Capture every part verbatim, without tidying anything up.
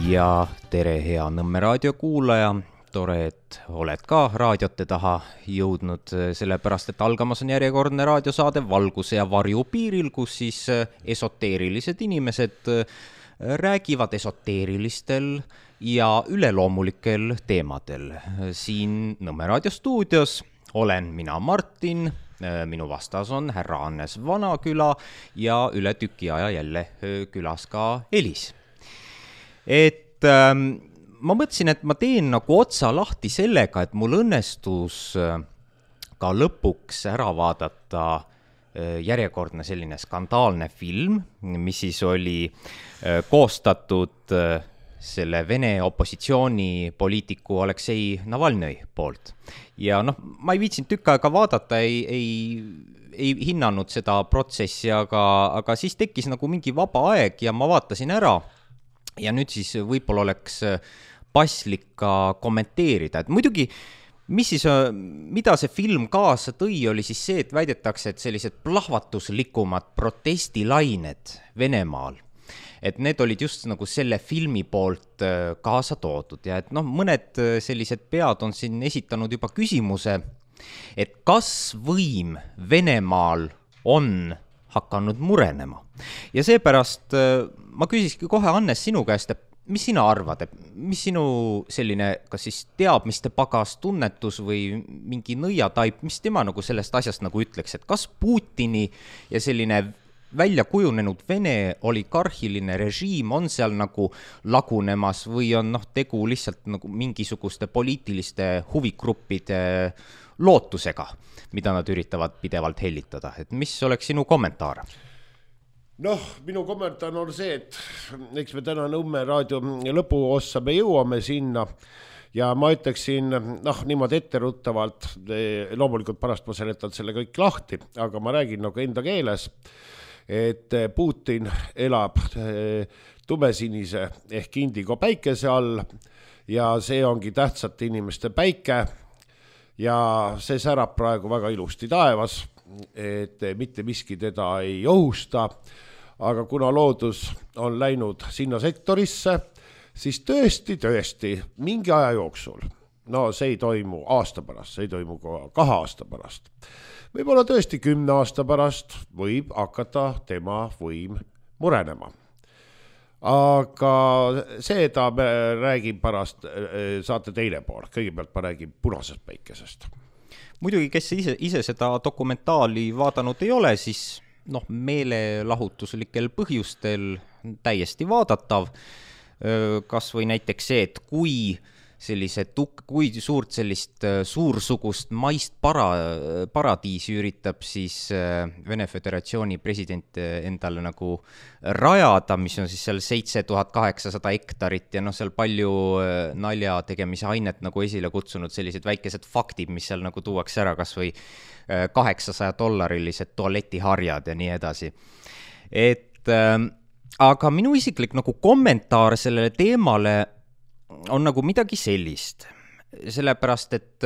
Ja tere hea Nõmme raadio kuulaja, tore, et oled ka raadiote taha jõudnud, sellepärast, et algamas on järjekordne raadiosaade Valguse ja varju piiril, kus siis esoteerilised inimesed räägivad esoteerilistel ja üleloomulikel teemadel. Siin Nõmme raadio stuudios olen mina Martin, minu vastas on härra Hannes Vanaküla ja üle tüki aja jälle külas ka Elis. Et ähm, ma mõtlesin, et ma teen nagu otsa lahti sellega, et mul õnnestus äh, ka lõpuks ära vaadata äh, järjekordne selline skandaalne film, mis siis oli äh, koostatud äh, selle Vene opositsioonipoliitiku Aleksei Navalnõi poolt. Ja noh, ma ei viitsinud tükk aega vaadata, ei, ei, ei hinnanud seda protsessi, aga, aga siis tekkis nagu mingi vaba aeg ja ma vaatasin ära. Ja nüüd siis võib-olla oleks paslik ka kommenteerida. Et muidugi, mis siis, mida see film kaasa tõi, oli siis see, et väidetakse, et sellised plahvatuslikumad protestilained Venemaal, et need olid just nagu selle filmi poolt kaasa toodud. Ja et noh, mõned sellised pead on siin esitanud juba küsimuse, et kas võim Venemaal on hakanud murenema. Ja seepärast ma küsiski kohe, Hannes, sinu käest, et mis sina arvad, et mis sinu selline, kas siis teabmiste pagas tunnetus või mingi nõiataip, mis tema nagu sellest asjast nagu ütleks, et kas Putini ja selline välja kujunenud Vene oligarhiline režiim on seal nagu lagunemas või on noh, tegu lihtsalt nagu mingisuguste poliitiliste huvigruppide lootusega, mida nad üritavad pidevalt hellitada. Et mis oleks sinu kommentaar? Noh, minu kommentaar on see, et eks me täna Nõmme raadio lõpuossa me jõuame sinna ja ma ütleksin, noh, niimoodi etteruttavalt, loomulikult pärast ma seletan selle kõik lahti, aga ma räägin nagu enda keeles, et Putin elab tumesinise ehk indigo päikese all ja see ongi tähtsate inimeste päike ja see särab praegu väga ilusti taevas, et mitte miski teda ei ohusta, aga kuna loodus on läinud sinna sektorisse, siis tõesti, tõesti, mingi aja jooksul, no see ei toimu aasta pärast, see ei toimu kahe aasta pärast, võib-olla tõesti kümne aasta pärast võib hakata tema võim murenema. Aga seda me räägin pärast, saate teine pool, kõigepealt ma räägin punasest päikesest. Muidugi, kes ise, ise seda dokumentaali vaadanud ei ole, siis noh, meelelahutuslikel põhjustel täiesti vaadatav. Kas või näiteks see, et kui sellise tuk, kui suurt sellist suursugust maist para, paradiisi üritab siis Vene Föderatsiooni president endale nagu rajada, mis on siis seal seitse tuhat kaheksasada hektarit ja noh, seal palju nalja tegemise ainet nagu esile kutsunud sellised väikesed faktid, mis seal nagu tuuakse ära, kas või kaheksasaja dollarilised tualetiharjad ja nii edasi. Et aga minu isiklik nagu kommentaar sellele teemale on nagu midagi sellist, sellepärast, et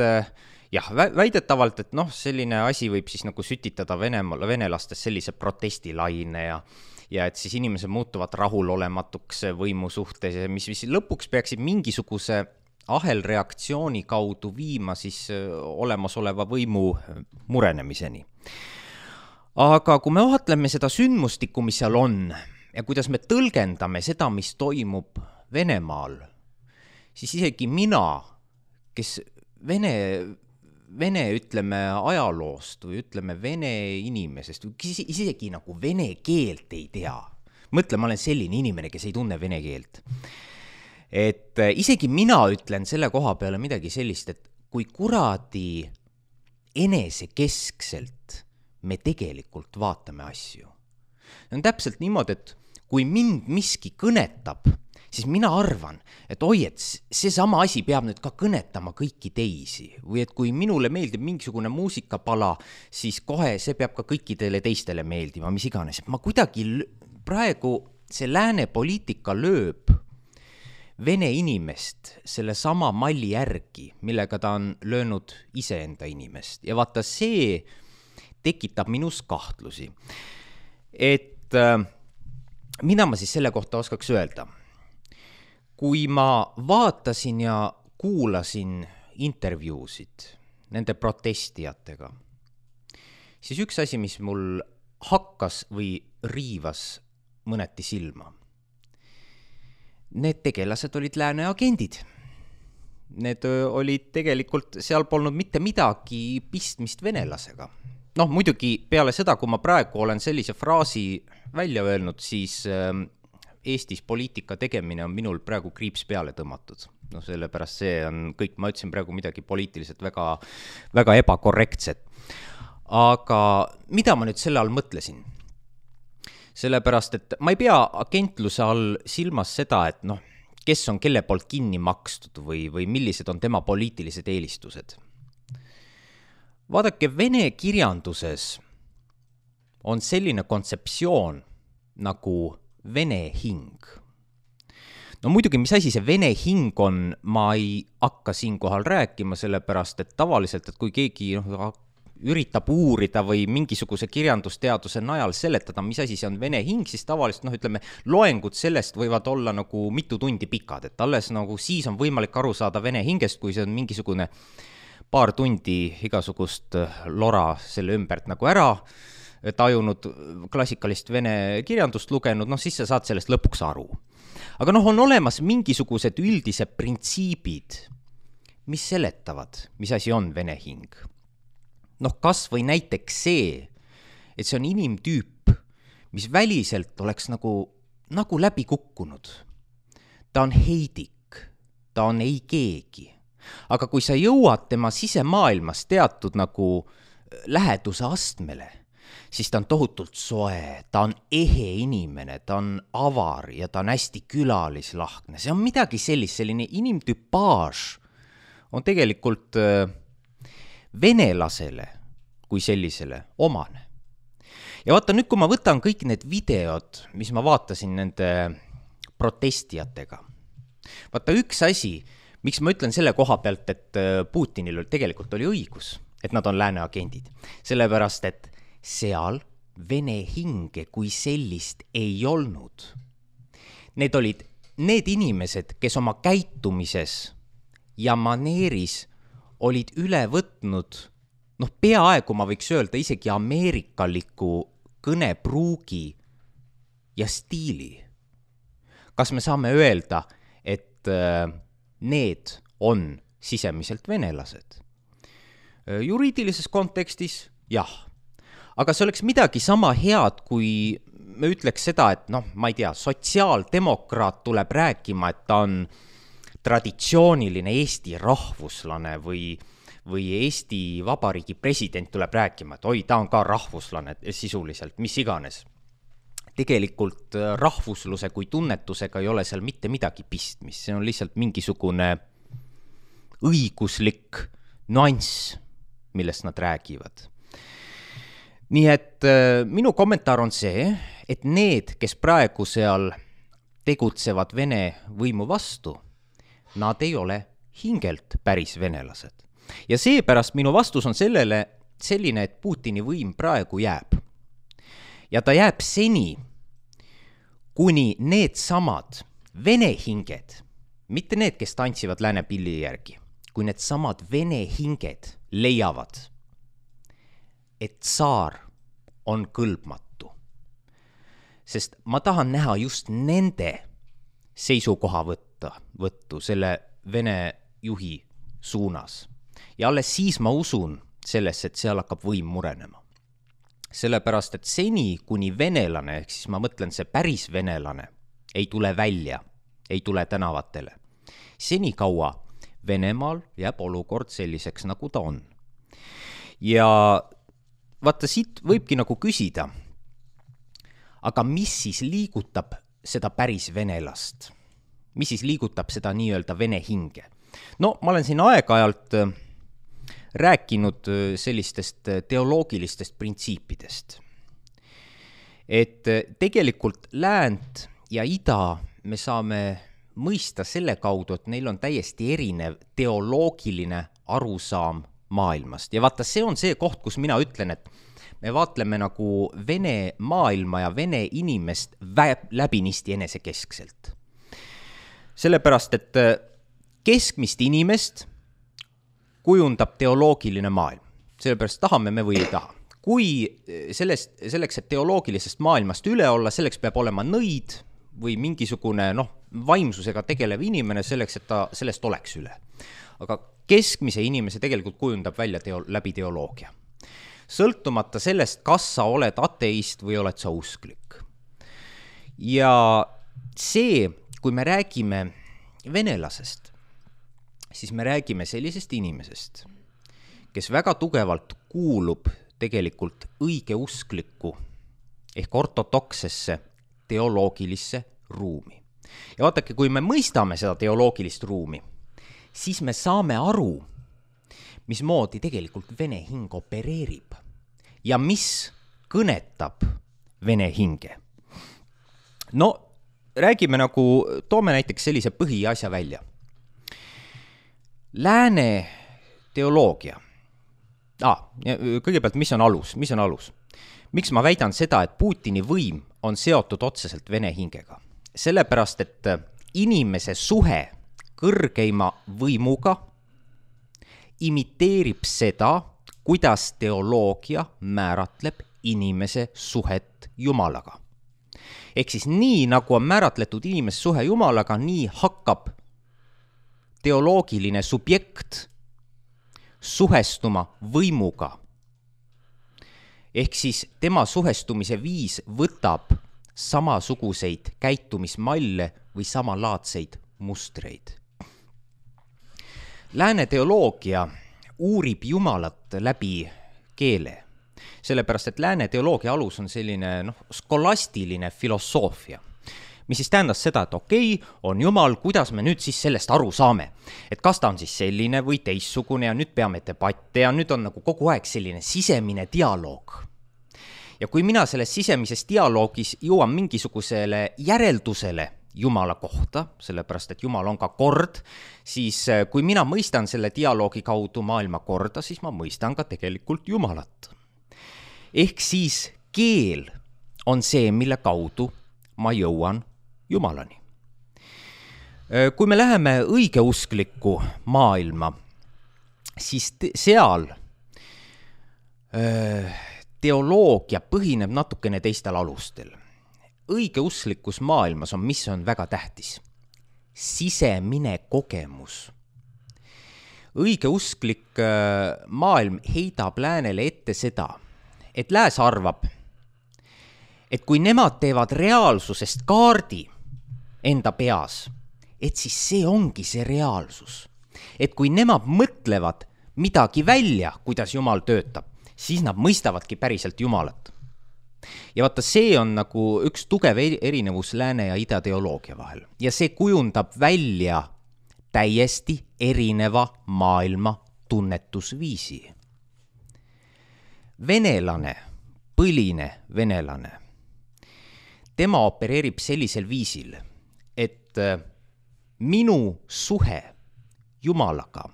jah, väidetavalt, et noh, selline asi võib siis nagu sütitada Venemaal, venelastes sellise protestilaine ja, ja et siis inimesed muutuvad rahulolematuks võimu suhtes, mis, mis lõpuks peaksid mingisuguse ahelreaktsiooni kaudu viima siis olemasoleva võimu murenemiseni. Aga kui me vaatleme seda sündmustikku, mis seal on ja kuidas me tõlgendame seda, mis toimub Venemaal, siis isegi mina, kes Vene, Vene ütleme ajaloost või ütleme Vene inimesest, isegi nagu vene keelt ei tea. Mõtle, ma olen selline inimene, kes ei tunne vene keelt. Et isegi mina ütlen selle koha peale midagi sellist, et kui kuradi enesekeskselt me tegelikult vaatame asju. See on täpselt niimoodi, et kui mind miski kõnetab, siis mina arvan, et oi, et see sama asi peab nüüd ka kõnetama kõiki teisi. Või et kui minule meeldib mingisugune muusikapala, siis kohe see peab ka kõikidele teistele meeldima, mis iganes. Ma kuidagi praegu see lääne poliitika lööb Vene inimest selle sama malli järgi, millega ta on löönud iseenda inimest. Ja vaata, see tekitab minus kahtlusi. Et äh, mida ma siis selle kohta oskaks öelda? kui ma vaatasin ja kuulasin intervjuusid nende protestijatega, siis üks asi, mis mul hakkas või riivas mõneti silma. Need tegelased olid lääne agendid. Need olid tegelikult, seal polnud mitte midagi pistmist venelasega. Noh, muidugi peale seda, kui ma praegu olen sellise fraasi välja öelnud, siis Eestis poliitika tegemine on minul praegu kriips peale tõmmatud. No sellepärast see on kõik, ma ütlesin praegu midagi poliitiliselt väga, väga ebakorrektset. Aga mida ma nüüd selle all mõtlesin? Sellepärast, et ma ei pea agentluse all silmas seda, et noh, kes on kelle poolt kinni makstud või, või millised on tema poliitilised eelistused. Vaadake, vene kirjanduses on selline kontseptsioon nagu vene hing. No muidugi, mis asi see vene hing on, ma ei hakka siinkohal rääkima, sellepärast, et tavaliselt, et kui keegi noh, üritab uurida või mingisuguse kirjandusteaduse najal seletada, mis asi see on vene hing, siis tavaliselt, noh, ütleme, loengud sellest võivad olla nagu mitu tundi pikad, et alles nagu siis on võimalik aru saada vene hingest, kui see on mingisugune paar tundi igasugust lora selle ümbert nagu ära tajunud, klassikalist vene kirjandust lugenud, noh, siis sa saad sellest lõpuks aru. Aga noh, on olemas mingisugused üldised printsiibid, mis seletavad, mis asi on vene hing. Noh, kas või näiteks see, et see on inimtüüp, mis väliselt oleks nagu, nagu läbi kukkunud. Ta on heidik, ta on ei keegi. Aga kui sa jõuad tema sisemaailmas teatud nagu läheduse astmele, siis ta on tohutult soe, ta on ehe inimene, ta on avar ja ta on hästi külalislahkne. See on midagi sellist, selline inimtüpaaž on tegelikult venelasele kui sellisele omane. Ja vaata nüüd, kui ma võtan kõik need videod, mis ma vaatasin nende protestijatega. Vaata üks asi, miks ma ütlen selle koha pealt, et Putinil tegelikult oli õigus, et nad on lääne agendid. Sellepärast, et seal vene hinge kui sellist ei olnud. Need olid need inimesed, kes oma käitumises ja maneeris olid üle võtnud, noh, peaaegu ma võiks öelda isegi ameerikaliku kõnepruugi ja stiili. Kas me saame öelda, et need on sisemiselt venelased? Juriidilises kontekstis, jah. Aga see oleks midagi sama head, kui me ütleks seda, et noh, ma ei tea, sotsiaaldemokraat tuleb rääkima, et ta on traditsiooniline Eesti rahvuslane või, või Eesti Vabariigi president tuleb rääkima, et oi, ta on ka rahvuslane sisuliselt, mis iganes. Tegelikult rahvusluse kui tunnetusega ei ole seal mitte midagi pistmist, see on lihtsalt mingisugune õiguslik nüanss, millest nad räägivad. Nii et minu kommentaar on see, et need, kes praegu seal tegutsevad Vene võimu vastu, nad ei ole hingelt päris venelased. Ja seepärast minu vastus on sellele selline, et Putini võim praegu jääb. Ja ta jääb seni, kuni need samad vene hinged, mitte need, kes tantsivad lääne pilli järgi, kui need samad vene hinged leiavad, et tsaar on kõlbmatu. Sest ma tahan näha just nende seisukoha võtta, võttu selle Vene juhi suunas. Ja alles siis ma usun sellesse, et seal hakkab võim murenema. Sellepärast, et seni, kuni venelane, ehk siis ma mõtlen see päris venelane, ei tule välja, ei tule tänavatele. Seni kaua Venemaal jääb olukord selliseks, nagu ta on. Ja vaata, siit võibki nagu küsida, aga mis siis liigutab seda päris venelast? Mis siis liigutab seda nii-öelda vene hinge? No, ma olen siin aeg-ajalt rääkinud sellistest teoloogilistest printsiipidest. Et tegelikult läänt ja ida me saame mõista selle kaudu, et neil on täiesti erinev teoloogiline arusaam maailmast. Ja vaata, see on see koht, kus mina ütlen, et me vaatleme nagu vene maailma ja vene inimest läbinisti enesekeskselt. sellepärast, et keskmist inimest kujundab teoloogiline maailm. Sellepärast tahame me või ei taha. Kui sellest, selleks, et teoloogilisest maailmast üle olla, selleks peab olema nõid või mingisugune noh, vaimsusega tegelev inimene selleks, et ta sellest oleks üle. Aga keskmise inimese tegelikult kujundab välja teo, läbi teoloogia. Sõltumata sellest, kas sa oled ateist või oled sa usklik. Ja see, kui me räägime venelasest, siis me räägime sellisest inimesest, kes väga tugevalt kuulub tegelikult õigeusklikku ehk ortodoksesse teoloogilisse ruumi. Ja vaadake, kui me mõistame seda teoloogilist ruumi, siis me saame aru, mismoodi tegelikult vene hing opereerib ja mis kõnetab vene hinge. No, räägime nagu, toome näiteks sellise põhiasja välja. Lääne teoloogia. Ah, kõigepealt, mis on alus? Mis on alus? Miks ma väidan seda, et Putini võim on seotud otseselt vene hingega? Sellepärast, et inimese suhe kõrgeima võimuga imiteerib seda, kuidas teoloogia määratleb inimese suhet Jumalaga. Ehk siis nii, nagu on määratletud inimese suhe Jumalaga, nii hakkab teoloogiline subjekt suhestuma võimuga. Ehk siis tema suhestumise viis võtab samasuguseid käitumismalle või samalaadseid mustreid. Lääne teoloogia uurib Jumalat läbi keele, sellepärast et lääne teoloogia alus on selline noh, skolastiline filosoofia, mis siis tähendas seda, et okei, on Jumal, kuidas me nüüd siis sellest aru saame, et kas ta on siis selline või teissugune ja nüüd peame debatte ja nüüd on nagu kogu aeg selline sisemine dialoog. Ja kui mina selles sisemises dialoogis jõuan mingisugusele järeldusele Jumala kohta, sellepärast et Jumal on ka kord, siis kui mina mõistan selle dialoogi kaudu maailma korda, siis ma mõistan ka tegelikult Jumalat. Ehk siis keel on see, mille kaudu ma jõuan Jumalani. Kui me läheme õigeusklikku maailma, siis te- seal teoloogia põhineb natukene teistel alustel. Õigeusklikus maailmas on, mis on väga tähtis. Sisemine kogemus. Õigeusklik maailm heidab läänele ette seda, et lääs arvab, et kui nemad teevad reaalsusest kaardi enda peas, et siis see ongi see reaalsus. Et kui nemad mõtlevad midagi välja, kuidas Jumal töötab, siis nad mõistavadki päriselt Jumalat. Ja vaata, see on nagu üks tugev erinevus lääne ja ida teoloogia vahel. Ja see kujundab välja täiesti erineva maailma tunnetusviisi. Venelane, põline venelane, tema opereerib sellisel viisil, et minu suhe Jumalaga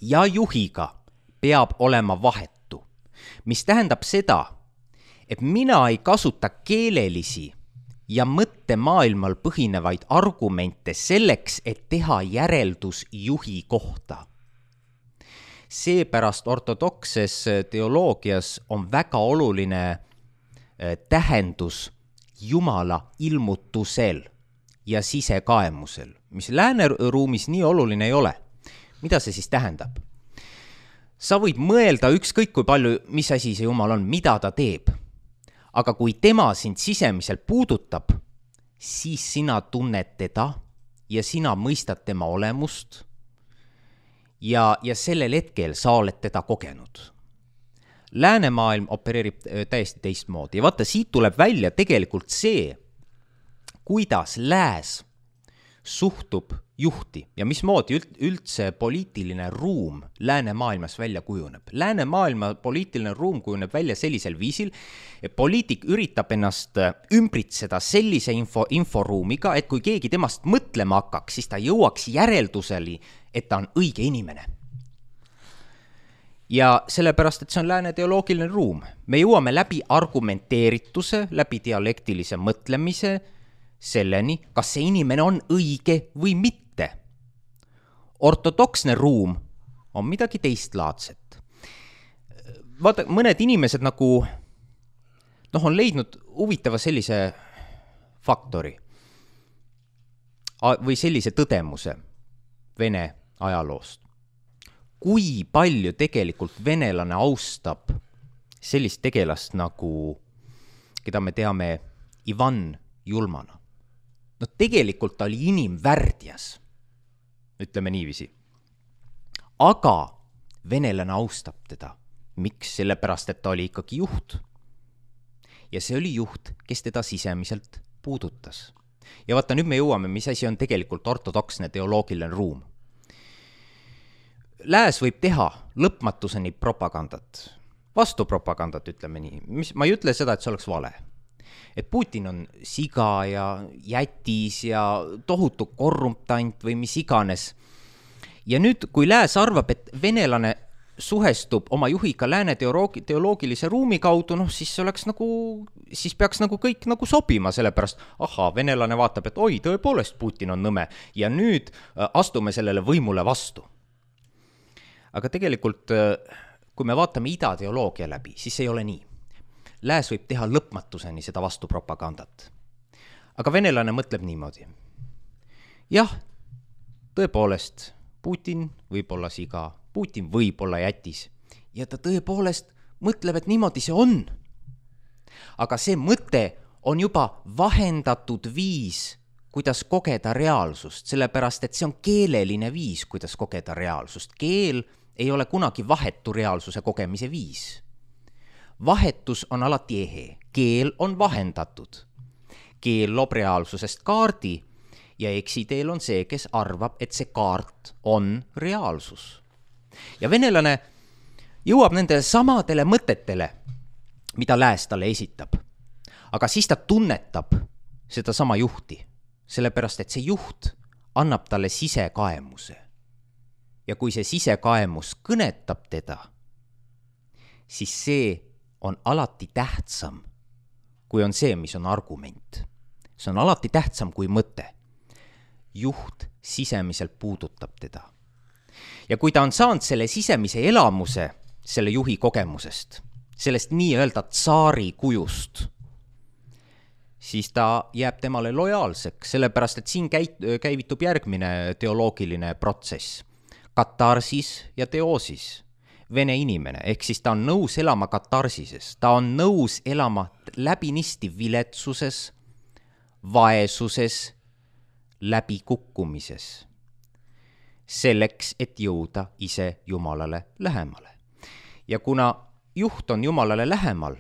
ja juhiga peab olema vahetu, mis tähendab seda, et mina ei kasuta keelelisi ja mõttemaailmal põhinevaid argumente selleks, et teha järeldus juhi kohta. Seepärast ortodokses teoloogias on väga oluline tähendus Jumala ilmutusel ja sisekaemusel, mis lääneruumis nii oluline ei ole. Mida see siis tähendab? Sa võid mõelda ükskõik kui palju, mis asi see Jumal on, mida ta teeb. Aga kui tema sind sisemiselt puudutab, siis sina tunned teda ja sina mõistad tema olemust ja, ja sellel hetkel sa oled teda kogenud. Läänemaailm opereerib täiesti teistmoodi ja vaata, siit tuleb välja tegelikult see, kuidas lääs suhtub juhti ja mismoodi üldse poliitiline ruum läänemaailmas välja kujuneb. Läänemaailma poliitiline ruum kujuneb välja sellisel viisil, et poliitik üritab ennast ümbritseda sellise info, inforuumiga, et kui keegi temast mõtlema hakkaks, siis ta jõuaks järelduseli, et ta on õige inimene. Ja sellepärast, et see on lääne teoloogiline ruum. Me jõuame läbi argumenteerituse, läbi dialektilise mõtlemise selleni, kas see inimene on õige või mitte. Ortodoksne ruum on midagi teistlaadset. Vaata, mõned inimesed nagu noh, on leidnud huvitava sellise faktori või sellise tõdemuse Vene ajaloost. Kui palju tegelikult venelane austab sellist tegelast nagu, keda me teame Ivan Julmana. No tegelikult ta oli inimvärdjas, ütleme niiviisi. Aga venelane austab teda. Miks? Sellepärast, et ta oli ikkagi juht. Ja see oli juht, kes teda sisemiselt puudutas. Ja vaata, nüüd me jõuame, mis asi on tegelikult ortodoksne teoloogiline ruum. Lääs võib teha lõpmatuseni propagandat, vastupropagandat, ütleme nii. Mis, ma ei ütle seda, et see oleks vale. Et Putin on siga ja jätis ja tohutu korruptant või mis iganes. Ja nüüd, kui lääs arvab, et venelane suhestub oma juhiga lääne teoloogi, teoloogilise ruumi kaudu, noh, siis oleks nagu, siis peaks nagu kõik nagu sobima, sellepärast, aha, venelane vaatab, et oi, tõepoolest Putin on nõme ja nüüd astume sellele võimule vastu. Aga tegelikult, kui me vaatame idateoloogia läbi, siis ei ole nii. Lääs võib teha lõpmatuseni seda vastupropagandat. Aga venelane mõtleb niimoodi. Jah, tõepoolest, Putin võib olla siga, Putin võib olla jätis. Ja ta tõepoolest mõtleb, et niimoodi see on. Aga see mõte on juba vahendatud viis, kuidas kogeda reaalsust, sellepärast, et see on keeleline viis, kuidas kogeda reaalsust. Keel ei ole kunagi vahetu reaalsuse kogemise viis. Vahetus on alati ehe. Keel on vahendatud. Keel loob reaalsusest kaardi ja eksiteel on see, kes arvab, et see kaart on reaalsus. Ja venelane jõuab nende samadele mõtetele, mida lääs talle esitab. Aga siis ta tunnetab seda sama juhti, sellepärast, et see juht annab talle sisekaemuse. Ja kui see sisekaemus kõnetab teda, siis see on alati tähtsam, kui on see, mis on argument. See on alati tähtsam kui mõte. Juht sisemiselt puudutab teda. Ja kui ta on saanud selle sisemise elamuse, selle juhi kogemusest, sellest nii-öelda tsaari kujust, siis ta jääb temale lojaalseks, sellepärast, et siin käivitub järgmine teoloogiline protsess. Katarsis ja teoosis. Vene inimene, ehk siis ta on nõus elama katarsises, ta on nõus elama läbinisti viletsuses, vaesuses, läbikukkumises, selleks, et jõuda ise Jumalale lähemale. Ja kuna juht on Jumalale lähemal,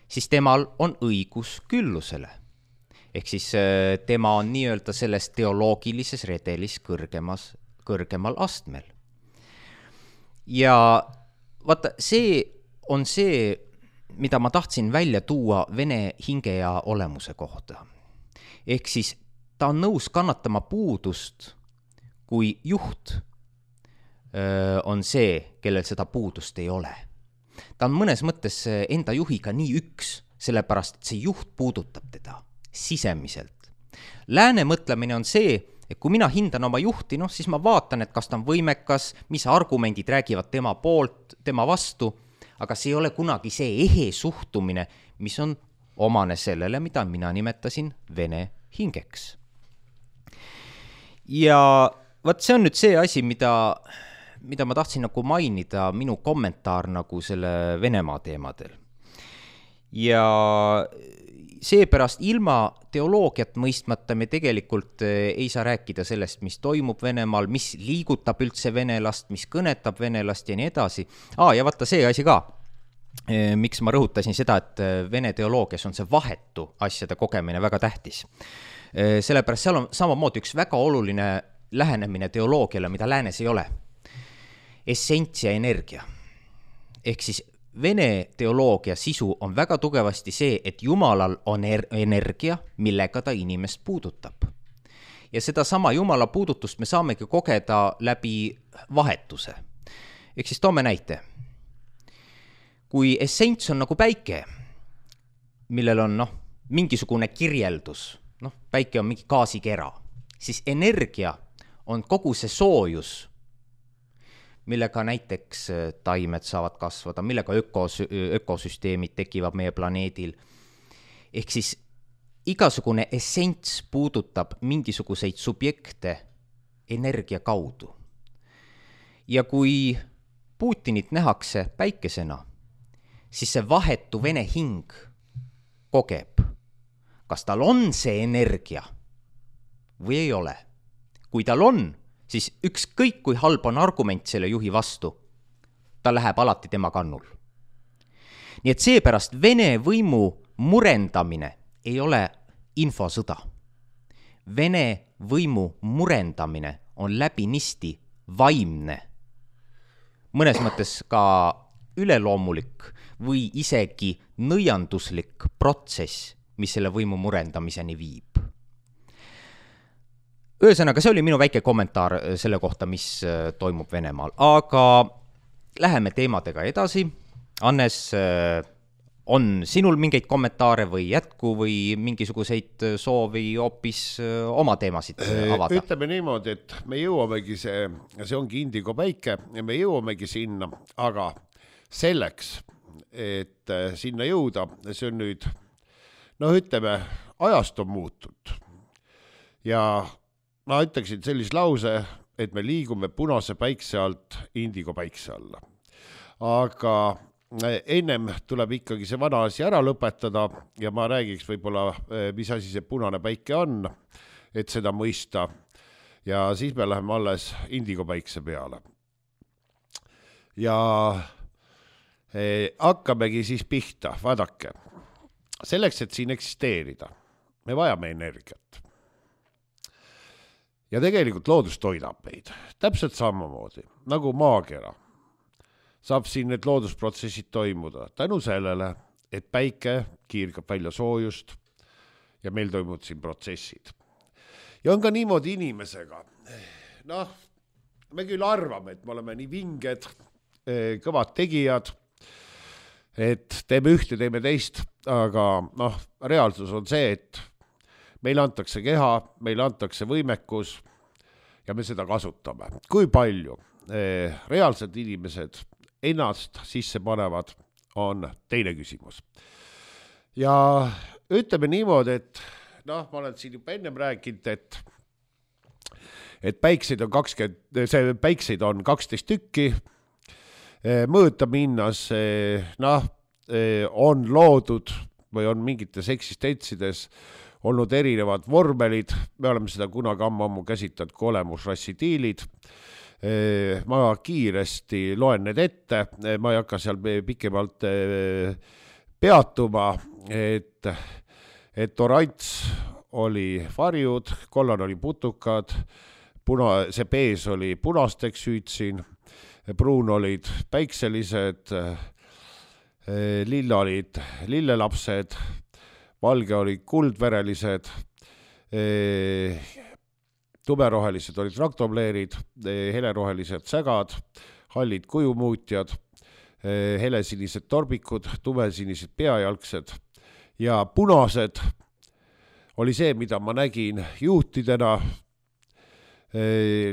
siis temal on õigus küllusele. Ehk siis tema on nii-öelda selles teoloogilises redelis kõrgemas, kõrgemal astmel. Ja vaata, see on see, mida ma tahtsin välja tuua Vene hinge ja olemuse kohta. Ehk siis ta on nõus kannatama puudust, kui juht öö, on see, kellel seda puudust ei ole. Ta on mõnes mõttes enda juhiga nii üks, sellepärast, et see juht puudutab teda sisemiselt. Lääne mõtlemine on see, et kui mina hindan oma juhti, noh, siis ma vaatan, et kas ta on võimekas, mis argumendid räägivad tema poolt, tema vastu, aga see ei ole kunagi see ehe suhtumine, mis on omane sellele, mida mina nimetasin Vene hingeks. Ja vaat see on nüüd see asi, mida, mida ma tahtsin nagu mainida, minu kommentaar nagu selle Venemaa teemadel. Ja seepärast ilma teoloogiat mõistmata me tegelikult ei saa rääkida sellest, mis toimub Venemaal, mis liigutab üldse venelast, mis kõnetab venelast ja nii edasi. Aa, ja vaata see asi ka, miks ma rõhutasin seda, et Vene teoloogias on see vahetu asjade kogemine väga tähtis. Sellepärast seal on samamoodi üks väga oluline lähenemine teoloogiale, mida läänes ei ole. Essents ja energia. Ehk siis Vene teoloogia sisu on väga tugevasti see, et Jumalal on er- energia, millega ta inimest puudutab. Ja seda sama Jumala puudutust me saamegi kogeda läbi vahetuse. Ehk siis toome näite. Kui essents on nagu päike, millel on noh, mingisugune kirjeldus, noh, päike on mingi gaasikera, siis energia on kogu see soojus, millega näiteks taimed saavad kasvada, millega ökos, ökosüsteemid tekivad meie planeedil. Ehk siis igasugune essents puudutab mingisuguseid subjekte energia kaudu. Ja kui Putinit nähakse päikesena, siis see vahetu vene hing kogeb, kas tal on see energia või ei ole. Kui tal on, siis ükskõik kui halb on argument selle juhi vastu, ta läheb alati tema kannul. Nii et seepärast Vene võimu murendamine ei ole infosõda. Vene võimu murendamine on läbinisti vaimne, mõnes mõttes ka üleloomulik või isegi nõianduslik protsess, mis selle võimu murendamiseni viib. Ühesõnaga, see oli minu väike kommentaar selle kohta, mis toimub Venemaal. Aga läheme teemadega edasi. Annes, on sinul mingeid kommentaare või jätku või mingisuguseid soovi hoopis oma teemasid avada? Ütleme niimoodi, et me jõuamegi see, see ongi indigo päike ja me jõuamegi sinna, aga selleks, et sinna jõuda, see on nüüd, no ütleme, ajast on muutud. Ja ma ütleksin sellise lause, et me liigume punase päikse alt indigo päikse alla. Aga ennem tuleb ikkagi see vana asi ära lõpetada ja ma räägiks võib-olla, mis asi see punane päike on, et seda mõista. Ja siis me läheme alles indigo päikse peale. Ja eh, hakkamegi siis pihta, vaadake. Selleks, et siin eksisteerida, me vajame energiat. Ja tegelikult loodus toidab meid. Täpselt samamoodi, nagu maakera. Saab siin need loodusprotsessid toimuda tänu sellele, et päike kiirgab välja soojust ja meil toimuvad siin protsessid. Ja on ka niimoodi inimesega. Noh, me küll arvame, et me oleme nii vinged, kõvad tegijad, et teeme ühte, teeme teist, aga noh, reaalsus on see, et meil antakse keha, meil antakse võimekus ja me seda kasutame. Kui palju reaalsed inimesed ennast sisse panevad, on teine küsimus. Ja ütleme niimoodi, et noh, ma olen siin juba ennem rääkinud, et, et päikseid on kakskümmend, see päikseid on kaksteist tükki, mõõta minnas, noh, on loodud või on mingites eksistentsides olnud erinevad vormelid, me oleme seda kunagi ammu käsitanud kui olemusrassidiilid. Ma kiiresti loen need ette, ma ei hakka seal pikemalt peatuma, et, et orants oli varjud, kollan oli putukad, puna, see pees oli punasteks hüütsin, pruun olid päikselised, lilla olid lillelapsed, valge olid kuldverelised, tumerohelised olid raktobleerid, helerohelised sägad, hallid kujumuutjad, helesinised torbikud, tumesinised peajalgsed ja punased oli see, mida ma nägin juutidena.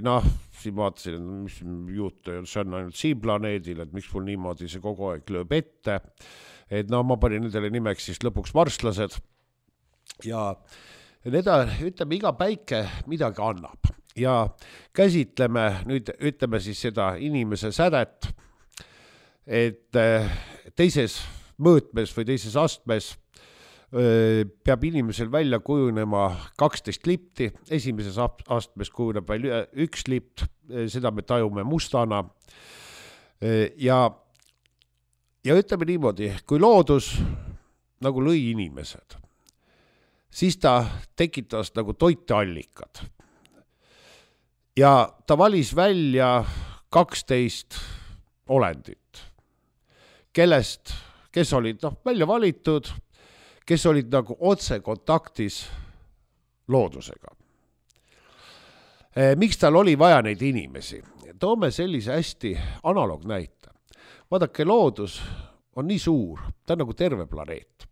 Noh, siin vaatasin, mis juut see on ainult siin planeedil, et miks mul niimoodi see kogu aeg lööb ette. Et no ma panin nendele nimeks siis lõpuks marslased ja need, ütleme, iga päike midagi annab ja käsitleme nüüd, ütleme siis seda inimese sädet, et teises mõõtmes või teises astmes peab inimesel välja kujunema kaksteist lipti, esimeses astmes kujuneb välja üks lipt, seda me tajume mustana ja Ja ütleme niimoodi, kui loodus nagu lõi inimesed, siis ta tekitas nagu toiteallikad. Ja ta valis välja kaksteist olendit, kellest, kes olid noh, välja valitud, kes olid nagu otse kontaktis loodusega. Miks tal oli vaja neid inimesi? Toome sellise hästi analoog näite. Vaadake, loodus on nii suur, ta on nagu terve planeet.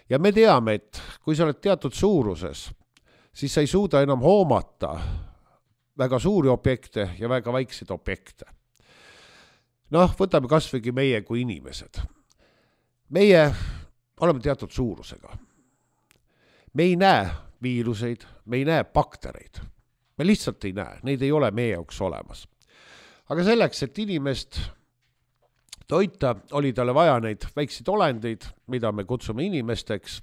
ja me teame, et kui sa oled teatud suuruses, siis sa ei suuda enam hoomata väga suuri objekte ja väga väikseid objekte. Noh, võtame kasvõi meie kui inimesed. Meie oleme teatud suurusega. Me ei näe viiruseid, me ei näe baktereid. Me lihtsalt ei näe, neid ei ole meie jaoks olemas. Aga selleks, et inimest toita, oli talle vaja neid väikseid olendeid, mida me kutsume inimesteks,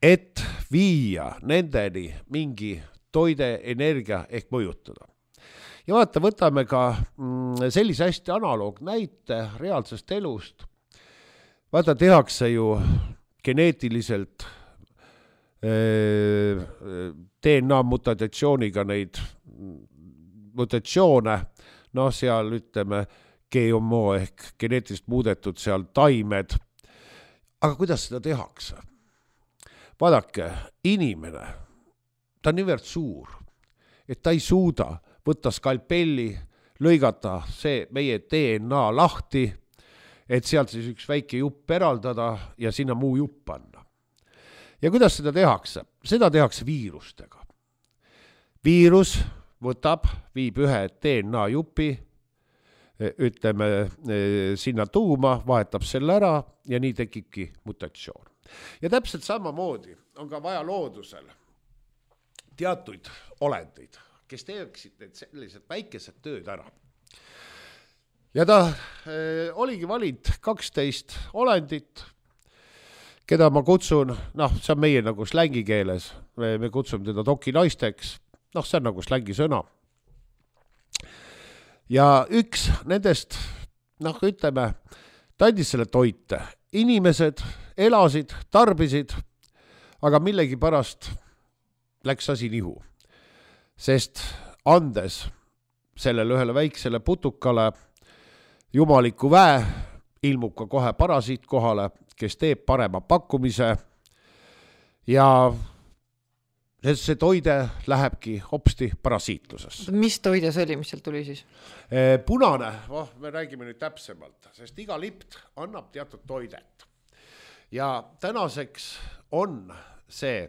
et viia nendeni mingi toide, energia ehk mõjutada. Ja vaata, võtame ka sellise hästi analoog näite reaalsest elust. Vaata, tehakse ju geneetiliselt D N A mutatsiooniga neid mutatsioone, no seal ütleme G M O ehk geneetiliselt muudetud seal taimed. Aga kuidas seda tehakse? Vaadake, inimene, ta on niivõrd suur, et ta ei suuda võtta skalpelli, lõigata see meie D N A lahti, et sealt siis üks väike jupp eraldada ja sinna muu jupp panna. Ja kuidas seda tehakse? Seda tehakse viirustega. Viirus võtab, viib ühe D N A jupi, ütleme sinna tuuma, vahetab selle ära ja nii tekibki mutatsioon. Ja täpselt samamoodi on ka vaja loodusel teatuid olendeid, kes teeksid need sellised väikesed tööd ära. Ja ta äh, oligi valinud kaksteist olendit, keda ma kutsun, noh, see on meie nagu slängikeeles, me, me kutsume teda dokinaisteks, noh, see on nagu slängisõna. Ja üks nendest, noh, ütleme, ta andis selle toite. Inimesed elasid, tarbisid, aga millegi pärast läks asi nihu. Sest andes sellele ühele väiksele putukale jumaliku väe, ilmub ka kohe parasiit kohale, kes teeb parema pakkumise ja see toide lähebki hopsti parasiitlusesse. Mis toide see oli, mis sealt tuli siis? Punane, oh, me räägime nüüd täpsemalt, sest iga lipt annab teatud toidet. Ja tänaseks on see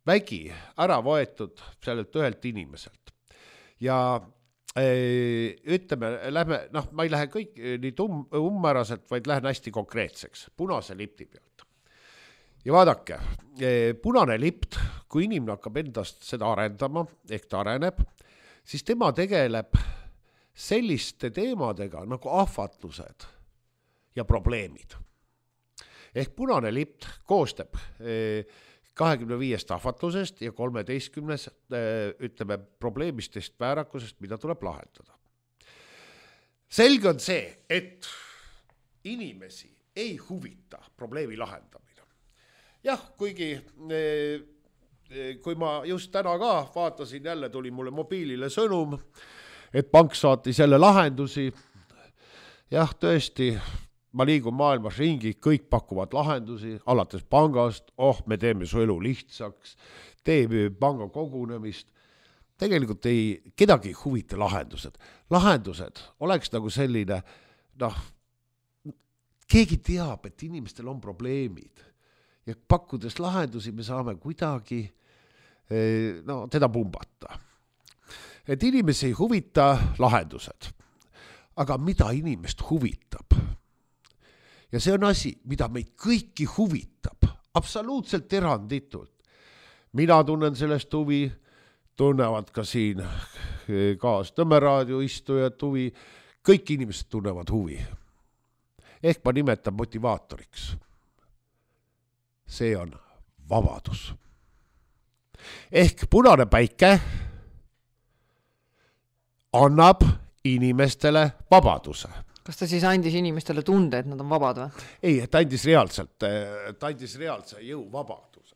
vägi ära võetud sellelt ühelt inimeselt. Ja ee, ütleme, lähme, noh, ma ei lähe kõik nii tum, ummäraselt, vaid lähen hästi konkreetseks, punase lipti pealt. Ja vaadake, punane lipt, kui inimene hakkab endast seda arendama, ehk ta areneb, siis tema tegeleb selliste teemadega nagu ahvatlused ja probleemid. Ehk punane lipt koostab kahekümne viiest ahvatlusest ja kolmeteistkümnes, ütleme, probleemistest väärakusest, mida tuleb lahendada. Selge on see, et inimesi ei huvita probleemi lahendamine. Jah, kuigi kui ma just täna ka vaatasin, jälle tuli mulle mobiilile sõnum, et pank saatis jälle lahendusi. Jah, tõesti, ma liigun maailmas ringi, kõik pakuvad lahendusi, alates pangast, oh, me teeme su elu lihtsaks, teeme panga kogunemist. Tegelikult ei, kedagi ei huvita lahendused. Lahendused oleks nagu selline, noh, keegi teab, et inimestel on probleemid. Ja pakkudes lahendusi me saame kuidagi no, teda pumbata. Et inimesi ei huvita lahendused. Aga mida inimest huvitab? Ja see on asi, mida meid kõiki huvitab. Absoluutselt eranditult. Mina tunnen sellest huvi, tunnevad ka siin kaas Nõmmeraadio istujad huvi. Kõik inimesed tunnevad huvi. Ehk ma nimetan motivaatoriks. See on vabadus. Ehk punane päike annab inimestele vabaduse. Kas ta siis andis inimestele tunde, et nad on vabad või? Ei, ta andis reaalselt, ta andis reaalse jõu vabaduse.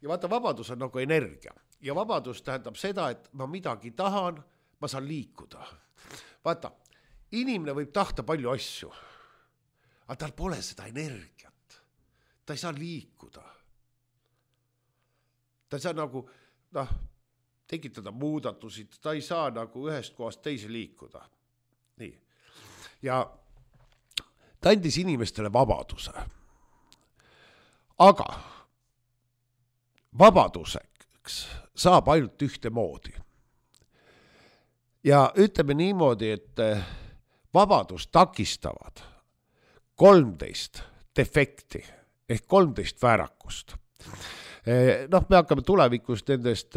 Ja vaata, vabadus on nagu energia. Ja vabadus tähendab seda, et ma midagi tahan, ma saan liikuda. Vaata, inimene võib tahta palju asju, aga tal pole seda energiat. Ta ei saa liikuda. Ta ei saa nagu, noh, tekitada muudatusi, ta ei saa nagu ühest kohast teise liikuda. Nii. Ja ta andis inimestele vabaduse. aga vabaduseks saab ainult ühte moodi. Ja ütleme niimoodi, et vabadust takistavad kolmteist defekti ehk kolmteist väärakust. Noh, me hakkame tulevikus nendest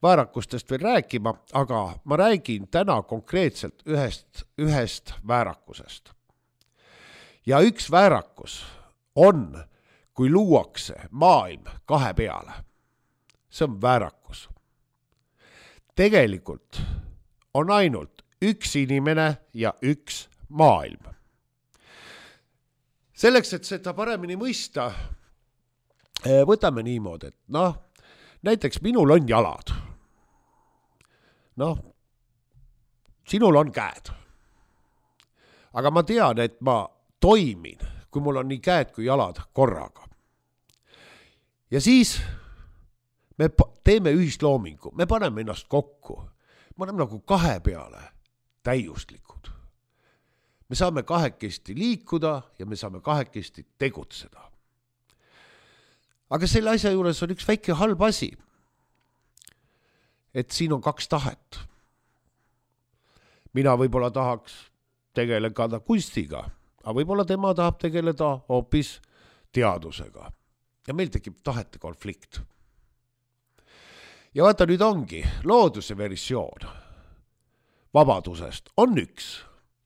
väärakustest veel rääkima, aga ma räägin täna konkreetselt ühest, ühest väärakusest. Ja üks väärakus on, kui luuakse maailm kahe peale. See on väärakus. Tegelikult on ainult üks inimene ja üks maailm. Selleks, et seda paremini mõista, võtame niimoodi, et noh, näiteks minul on jalad. Noh, sinul on käed. Aga ma tean, et ma toimin, kui mul on nii käed kui jalad korraga. Ja siis me teeme ühisloomingu, me paneme ennast kokku. Me oleme nagu kahe peale täiuslikud. Me saame kahekesti liikuda ja me saame kahekesti tegutseda. Aga selle asja juures on üks väike halb asi, et siin on kaks tahet. Mina võib-olla tahaks tegeleda kunstiga, aga võib-olla tema tahab tegeleda hoopis teadusega. Ja meil tekib tahete konflikt. Ja vaata, nüüd ongi looduse versioon vabadusest on üks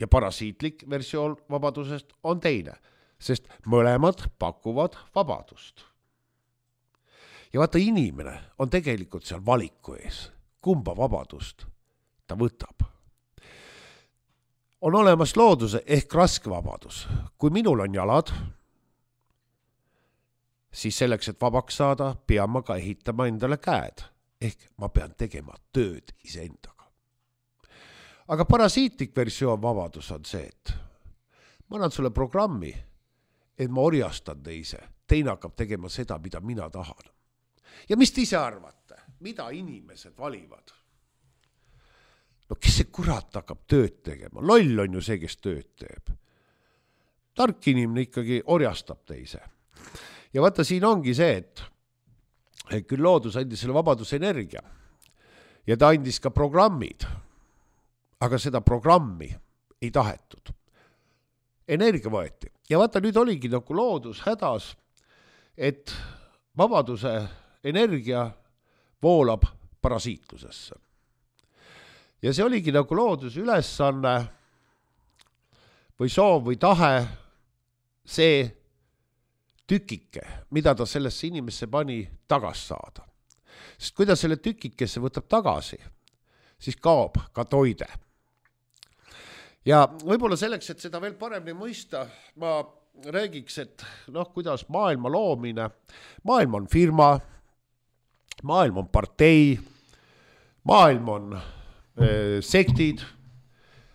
ja parasiitlik versioon vabadusest on teine, sest mõlemad pakuvad vabadust. Ja vaata, inimene on tegelikult seal valiku ees, kumba vabadust ta võtab. On olemas looduse ehk raske vabadus. Kui minul on jalad, siis selleks, et vabaks saada, pean ma ka ehitama endale käed. Ehk ma pean tegema tööd iseendaga. Aga parasiitlik versioon vabadus on see, et ma annan sulle programmi, et ma orjastan teise. Teine hakkab tegema seda, mida mina tahan. Ja mis te ise arvate? Mida inimesed valivad? No kes see kurat hakkab tööd tegema? Loll on ju see, kes tööd teeb. Tark inimene ikkagi orjastab teise. Ja vaata, siin ongi see, et küll loodus andis selle vabaduse energia ja ta andis ka programmid, aga seda programmi ei tahetud. Energia võeti. Ja vaata, nüüd oligi nagu loodus hädas, et vabaduse energia voolab parasiitlusesse. Ja see oligi nagu looduse ülesanne või soov või tahe see tükike, mida ta sellesse inimesse pani tagas saada. Sest kui ta selle tükikesse võtab tagasi, siis kaob ka toide. Ja võib-olla selleks, et seda veel paremini mõista, ma räägiks, et noh, kuidas maailma loomine, maailm on firma, maailm on partei, maailm on äh, sektid,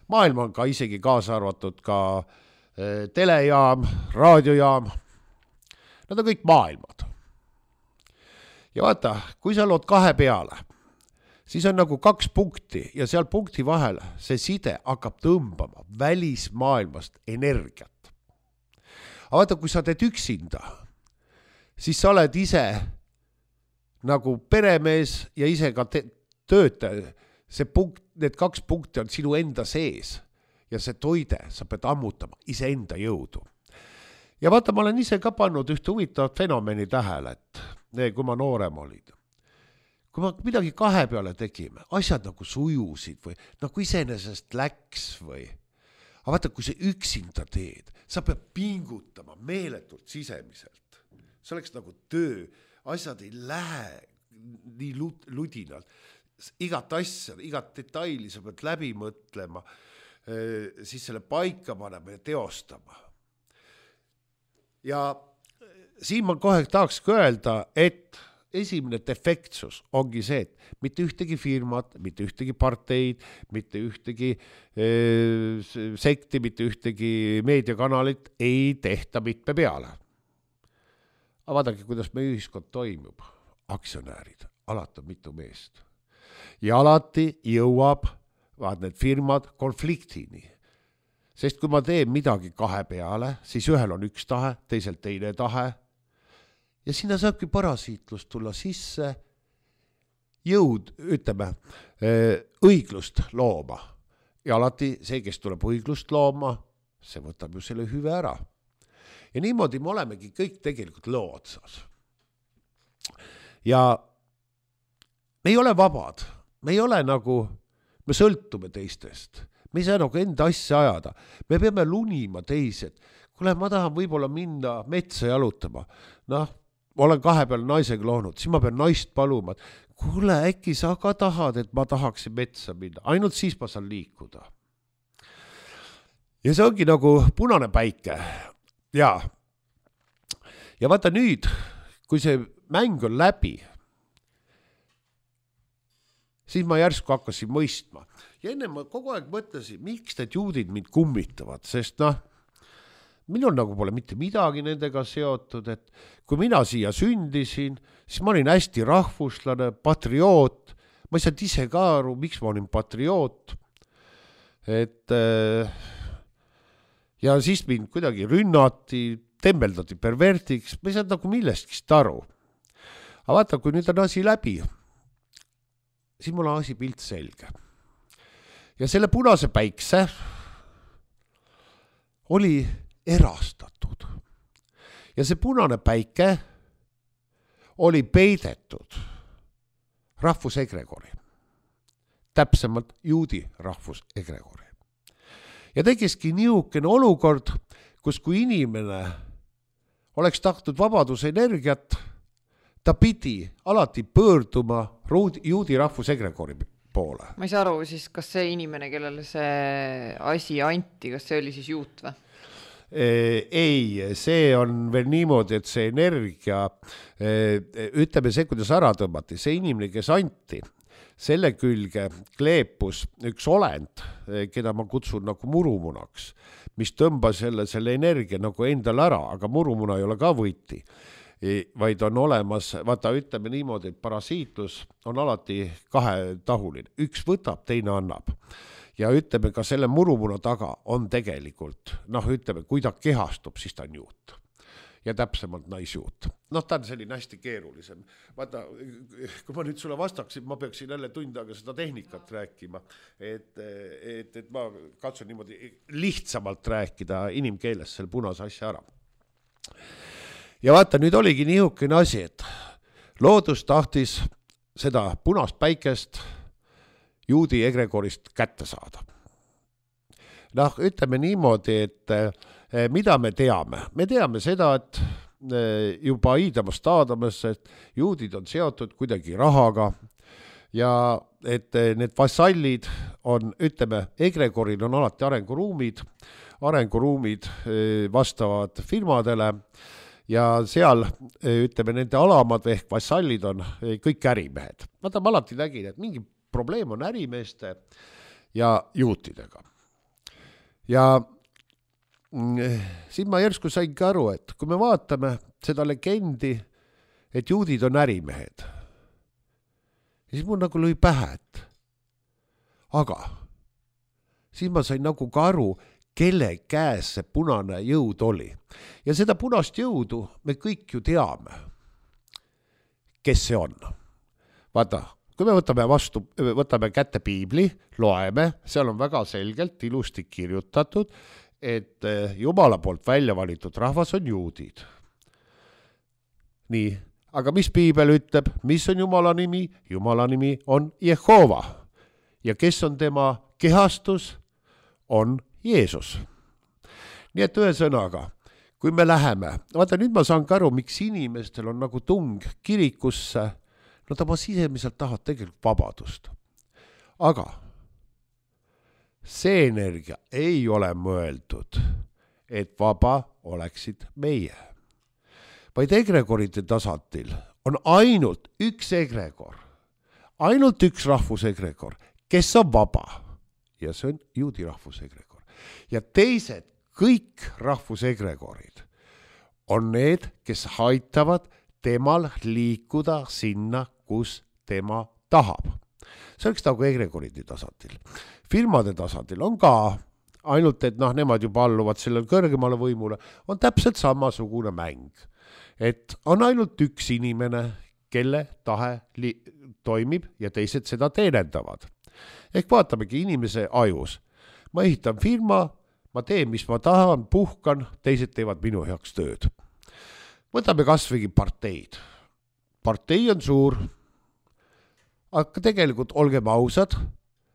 maailm on ka isegi kaasa arvatud ka äh, telejaam, raadiojaam. Nad on kõik maailmad. Ja vaata, kui sa lood kahe peale, siis on nagu kaks punkti ja seal punkti vahel see side hakkab tõmbama välismaailmast energiat. Aga vaata, kui sa teed üksinda, siis sa oled ise nagu peremees ja ise ka te- töötaja. See punkt, need kaks punkti on sinu enda sees ja see toide sa pead ammutama ise enda jõudu. Ja vaata, ma olen ise ka pannud ühte huvitavat fenomeni tähele, et kui ma noorem olin. Kui ma midagi kahe peale tegime, asjad nagu sujusid või nagu iseenesest läks või. Aga vaata, kui see üksinda teed, sa pead pingutama meeletult sisemiselt. See oleks nagu töö, asjad ei lähe nii ludinalt. Igat asja, igat detaili sa pead läbi mõtlema, siis selle paika panema ja teostama. Ja siin ma kohe tahaks öelda, et esimene defektsus ongi see, et mitte ühtegi firmat, mitte ühtegi parteid, mitte ühtegi eh, sekti, mitte ühtegi meediakanalit ei tehta mitme peale. Aga vaadake, kuidas meie ühiskond toimub. Aktsionäärid, alati on mitu meest. Ja alati jõuab vaat need firmad konfliktini. Sest kui ma teen midagi kahe peale, siis ühel on üks tahe, teisel teine tahe. ja sinna saabki parasiitlust tulla sisse, jõud, ütleme, õiglust looma. Ja alati see, kes tuleb õiglust looma, see võtab ju selle hüve ära. Ja niimoodi me olemegi kõik tegelikult loo otsas. Ja me ei ole vabad, me ei ole nagu, me sõltume teistest, me ei saa nagu enda asja ajada, me peame lunima teised. Kule, ma tahan võib-olla minna metsa jalutama, noh, olen kahe peal naisega loonud, siis ma pean naist paluma, et kuule, äkki sa ka tahad, et ma tahaksin metsa minna, ainult siis ma saan liikuda. Ja see ongi nagu punane päike. Ja, ja vaata nüüd, kui see mäng on läbi, siis ma järsku hakkasin mõistma. Ja enne ma kogu aeg mõtlesin, miks need juudid mind kummitavad, sest noh, minul nagu pole mitte midagi nendega seotud, et kui mina siia sündisin, siis ma olin hästi rahvuslane, patrioot, ma ei saanud ise ka aru, miks ma olin patrioot, et ja siis mind kuidagi rünnati, tembeldati pervertiks, ma ei saanud nagu millestki aru. Aga vaata, kui nüüd on asi läbi, siis mul on asi pilt selge. Ja selle punase päikse oli erastatud. Ja see punane päike oli peidetud rahvusegregori. Täpsemalt juudi rahvusegregori. Ja tekiski niisugune olukord, kus kui inimene oleks tahtnud vabaduse energiat, ta pidi alati pöörduma juudi rahvusegregori poole. Ma ei saa aru siis, kas see inimene, kellele see asi anti, kas see oli siis juut või? Ei, see on veel niimoodi, et see energia, ütleme see, kuidas ära tõmmati, see inimene, kes anti, selle külge kleepus üks olend, keda ma kutsun nagu murumunaks, mis tõmbas selle, selle energia nagu endal ära, aga murumuna ei ole ka võiti, vaid on olemas, vaata, ütleme niimoodi, et parasiitlus on alati kahetahuline, üks võtab, teine annab. Ja ütleme, ka selle murumuna taga on tegelikult, noh, ütleme, kui ta kehastub, siis ta on juut. Ja täpsemalt naisjuut. Noh, ta on selline hästi keerulisem. Vaata, kui ma nüüd sulle vastaksin, ma peaksin jälle tund aega seda tehnikat rääkima, et, et, et ma katsun niimoodi lihtsamalt rääkida inimkeeles selle punase asja ära. Ja vaata, nüüd oligi niisugune asi, et loodus tahtis seda punast päikest juudi egregorist kätte saada. Noh, ütleme niimoodi, et mida me teame? Me teame seda, et juba Iidamast Aadamas, et juudid on seotud kuidagi rahaga ja et need vassallid on, ütleme, egregoril on alati arenguruumid, arenguruumid vastavad firmadele ja seal, ütleme, nende alamad ehk vassallid on kõik ärimehed. Vaata, ma alati nägin, et mingi probleem on ärimeeste ja juutidega. Ja siin ma järsku saingi aru, et kui me vaatame seda legendi, et juudid on ärimehed, siis mul nagu lõi pähe, et aga siis ma sain nagu ka aru, kelle käes see punane jõud oli. Ja seda punast jõudu me kõik ju teame, kes see on. Vaata, kui me võtame vastu, võtame kätte piibli, loeme, seal on väga selgelt ilusti kirjutatud, et Jumala poolt välja valitud rahvas on juudid. Nii, aga mis piibel ütleb, mis on Jumala nimi? Jumala nimi on Jehova. Ja kes on tema kehastus? On Jeesus. Nii et ühe sõnaga, kui me läheme, vaata nüüd ma saan ka aru, miks inimestel on nagu tung kirikusse, no ta ma sisemiselt tahavad tegelikult vabadust. Aga see energia ei ole mõeldud, et vaba oleksid meie. Vaid egregorite tasandil on ainult üks egregor, ainult üks rahvusegregor, kes on vaba. Ja see on juudi rahvusegregor. Ja teised kõik rahvusegregorid on need, kes aitavad temal liikuda sinna, kus tema tahab. See oleks nagu egregoridi tasandil. Firmade tasandil on ka, ainult et noh, nemad juba alluvad sellel kõrgemale võimule, on täpselt samasugune mäng. et on ainult üks inimene, kelle tahe li- toimib ja teised seda teenendavad. Ehk vaatamegi inimese ajus. Ma ehitan firma, ma teen, mis ma tahan, puhkan, teised teevad minu heaks tööd. Võtame kasvõi parteid. Partei on suur, aga tegelikult olgem ausad,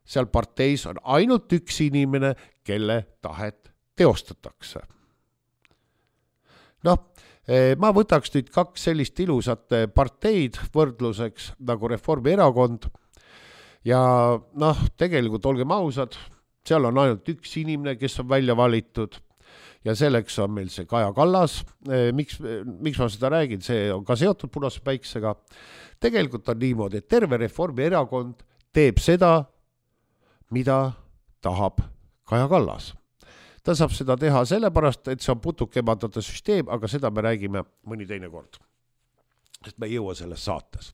seal parteis on ainult üks inimene, kelle tahet teostatakse. Noh, ma võtaks nüüd kaks sellist ilusat parteid võrdluseks nagu Reformierakond ja noh, tegelikult olgem ausad, seal on ainult üks inimene, kes on välja valitud ja selleks on meil see Kaja Kallas. Miks, miks ma seda räägin, see on ka seotud punase päiksega. Tegelikult on niimoodi, et terve Reformierakond teeb seda, mida tahab Kaja Kallas. Ta saab seda teha sellepärast, et see on putukemandate süsteem, aga seda me räägime mõni teine kord. Sest me ei jõua selles saates.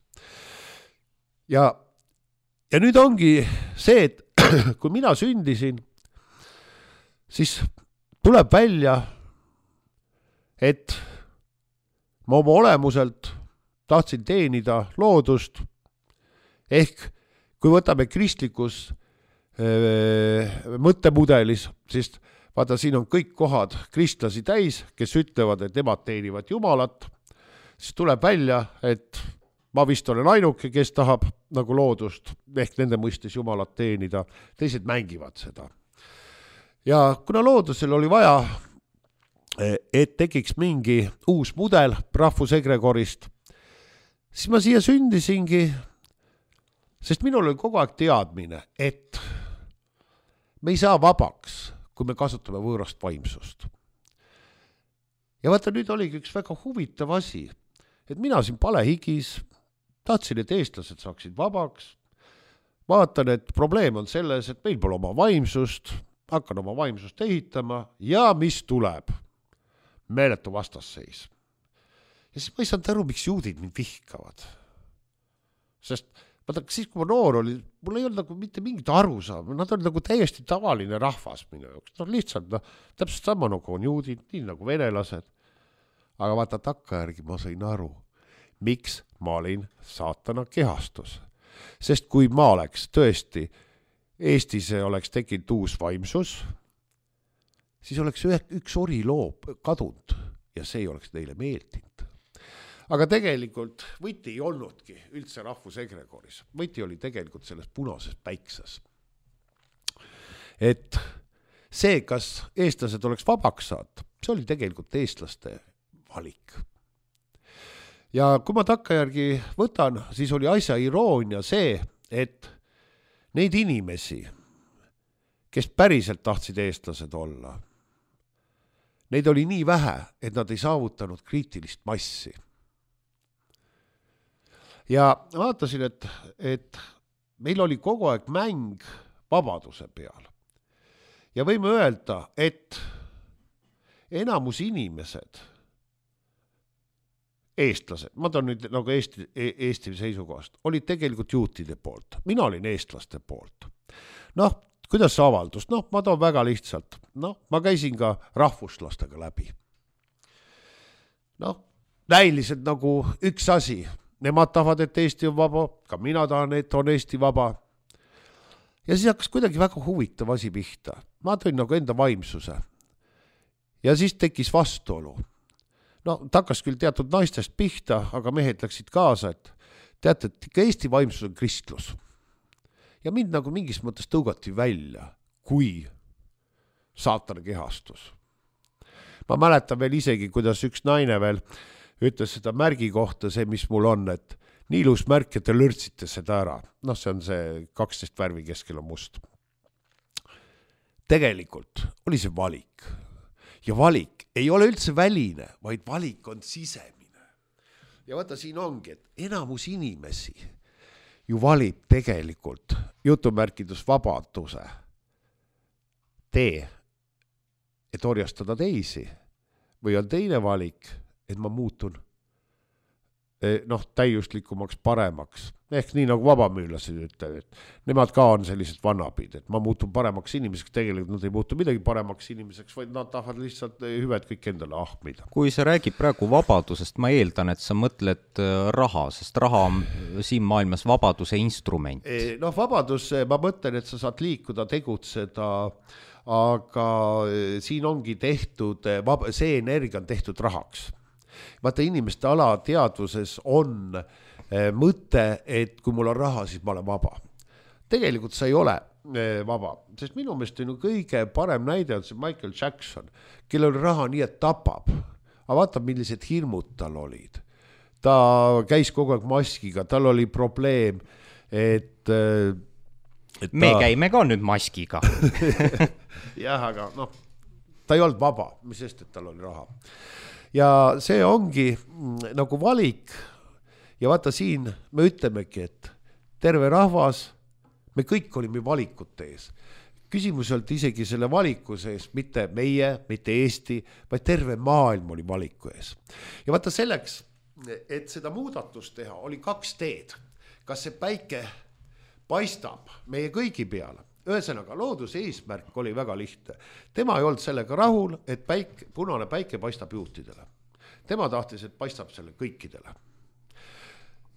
Ja, ja nüüd ongi see, et kui mina sündisin, siis tuleb välja, et ma oma olemuselt tahtsin teenida loodust, ehk kui võtame kristlikus äh, mõttemudelis, siis vaata, siin on kõik kohad kristlasi täis, kes ütlevad, et nemad teenivad Jumalat, siis tuleb välja, et ma vist olen ainuke, kes tahab nagu loodust, ehk nende mõistes Jumalat teenida, teised mängivad seda. Ja kuna loodusel oli vaja, et tekiks mingi uus mudel rahvusegregorist, siis ma siia sündisingi, sest minul oli kogu aeg teadmine, et me ei saa vabaks, kui me kasutame võõrast vaimsust. Ja vaata, nüüd oligi üks väga huvitav asi, et mina siin palehigis tahtsin, et eestlased saaksid vabaks. Vaatan, et probleem on selles, et meil pole oma vaimsust, hakkan oma vaimsust ehitama ja mis tuleb? Meeletu vastasseis. Ja siis ma ei saanud aru, miks juudid mind vihkavad. Sest vaata, siis kui ma noor oli, mul ei olnud nagu mitte mingit aru saama, nad olid nagu täiesti tavaline rahvas minu jaoks. No lihtsalt, no, täpselt sama nagu on juudid, nii nagu venelased. Aga vaata, takkajärgi ma sain aru, miks ma olin saatana kehastus. Sest kui ma oleks tõesti Eestis oleks tekkinud uus vaimsus, siis oleks üks oriloob kadunud ja see ei oleks neile meeldinud. Aga tegelikult võti ei olnudki üldse rahvusegregoris. Võti oli tegelikult selles punases päikses. Et see, kas eestlased oleks vabaks saad, see oli tegelikult eestlaste valik. Ja kui ma takkajärgi võtan, siis oli asja iroonia see, et neid inimesi, kes päriselt tahtsid eestlased olla, neid oli nii vähe, et nad ei saavutanud kriitilist massi. Ja vaatasin, et, et meil oli kogu aeg mäng vabaduse peal. Ja võime öelda, et enamus inimesed, eestlased, ma toon nüüd nagu Eesti, Eesti seisukohast, olid tegelikult juutide poolt. Mina olin eestlaste poolt. Noh, kuidas see avaldus? Noh, ma toon väga lihtsalt. Noh, ma käisin ka rahvuslastega läbi. Noh, näiliselt nagu üks asi. Nemad tahavad, et Eesti on vaba, ka mina tahan, et on Eesti vaba. Ja siis hakkas kuidagi väga huvitav asi pihta. Ma tõin nagu enda vaimsuse. Ja siis tekkis vastuolu. No, ta hakkas küll teatud naistest pihta, aga mehed läksid kaasa, et teate, et ikka Eesti vaimsus on kristlus. Ja mind nagu mingis mõttes tõugati välja, kui saatana kehastus. Ma mäletan veel isegi, kuidas üks naine veel ütles seda märgi kohta, see, mis mul on, et nii ilus märk, et te lörtsite seda ära. Noh, see on see kaksteist värvi keskel on must. Tegelikult oli see valik. Ja valik ei ole üldse väline, vaid valik on sisemine. Ja vaata, siin ongi, et enamus inimesi ju valib tegelikult jutumärkidus vabaduse tee, et orjastada teisi. Või on teine valik, et ma muutun noh, täiuslikumaks, paremaks. Ehk nii nagu vabamüülased ütlevad, et nemad ka on sellised vannapid, et ma muutun paremaks inimeseks, tegelikult nad ei muutu midagi paremaks inimeseks, vaid nad tahavad lihtsalt hüved kõik endale ahmida. Kui sa räägid praegu vabadusest, ma eeldan, et sa mõtled raha, sest raha on siin maailmas vabaduse instrument. Noh, vabadus, ma mõtlen, et sa saad liikuda, tegutseda, aga siin ongi tehtud, see energia on tehtud rahaks. Vaata, inimeste alateadvuses on mõte, et kui mul on raha, siis ma olen vaba. Tegelikult sa ei ole vaba, sest minu meelest on kõige parem näide on see Michael Jackson, kellel oli raha nii, et tapab. Aga vaata, millised hirmud tal olid. Ta käis kogu aeg maskiga, tal oli probleem, et... et Me ta... käime ka nüüd maskiga. Jah, aga noh, ta ei olnud vaba, mis sest, et tal oli raha. Ja see ongi nagu valik ja vaata siin me ütlemegi, et terve rahvas, me kõik olime valikute ees. Küsimus oli isegi selle valiku sees, mitte meie, mitte Eesti, vaid terve maailm oli valiku ees. Ja vaata selleks, et seda muudatust teha, oli kaks teed. Kas see päike paistab meie kõigi peale? Ühesõnaga, looduse eesmärk oli väga lihtne. Tema ei olnud sellega rahul, et päik, punane päike paistab juutidele. Tema tahtis, et paistab selle kõikidele.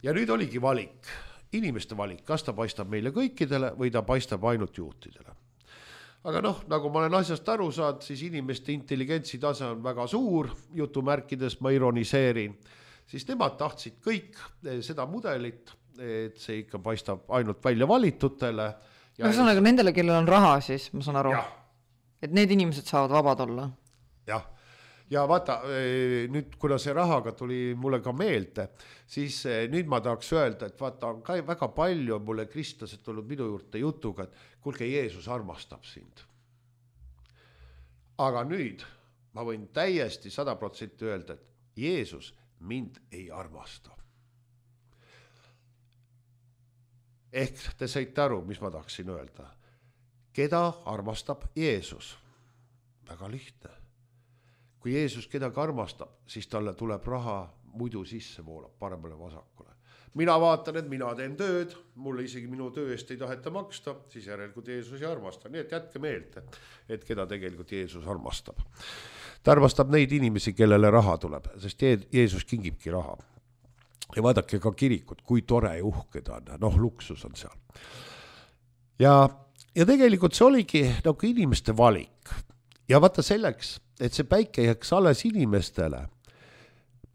Ja nüüd oligi valik, inimeste valik, kas ta paistab meile kõikidele või ta paistab ainult juutidele. Aga noh, nagu ma olen asjast aru saad, siis inimeste intelligentsi tase on väga suur, jutumärkides ma ironiseerin, siis nemad tahtsid kõik seda mudelit, et see ikka paistab ainult välja valitutele. Ja no, sõnaga, nendele, kellel on raha, siis ma saan aru, ja. Et need inimesed saavad vabad olla. Jah, ja vaata, nüüd kuna see rahaga tuli mulle ka meelde, siis nüüd ma tahaks öelda, et vaata, on ka väga palju mulle kristlased tulnud minu juurde jutuga, et kuulge, Jeesus armastab sind. Aga nüüd ma võin täiesti sada protsenti öelda, et Jeesus mind ei armasta. Ehk te saite aru, mis ma tahaksin öelda. Keda armastab Jeesus? Väga lihtne. Kui Jeesus kedagi armastab, siis talle tuleb raha muidu sisse voolab paremale vasakule. Mina vaatan, et mina teen tööd, mulle isegi minu töö eest ei taheta maksta, siis järelikult Jeesus ei armasta. Nii et jätke meelde, et keda tegelikult Jeesus armastab. Ta armastab neid inimesi, kellele raha tuleb, sest Jeesus kingibki raha. Ja vaadake ka kirikut, kui tore ja uhke ta on, noh, luksus on seal. Ja, ja tegelikult see oligi nagu inimeste valik. Ja vaata selleks, et see päike jääks alles inimestele,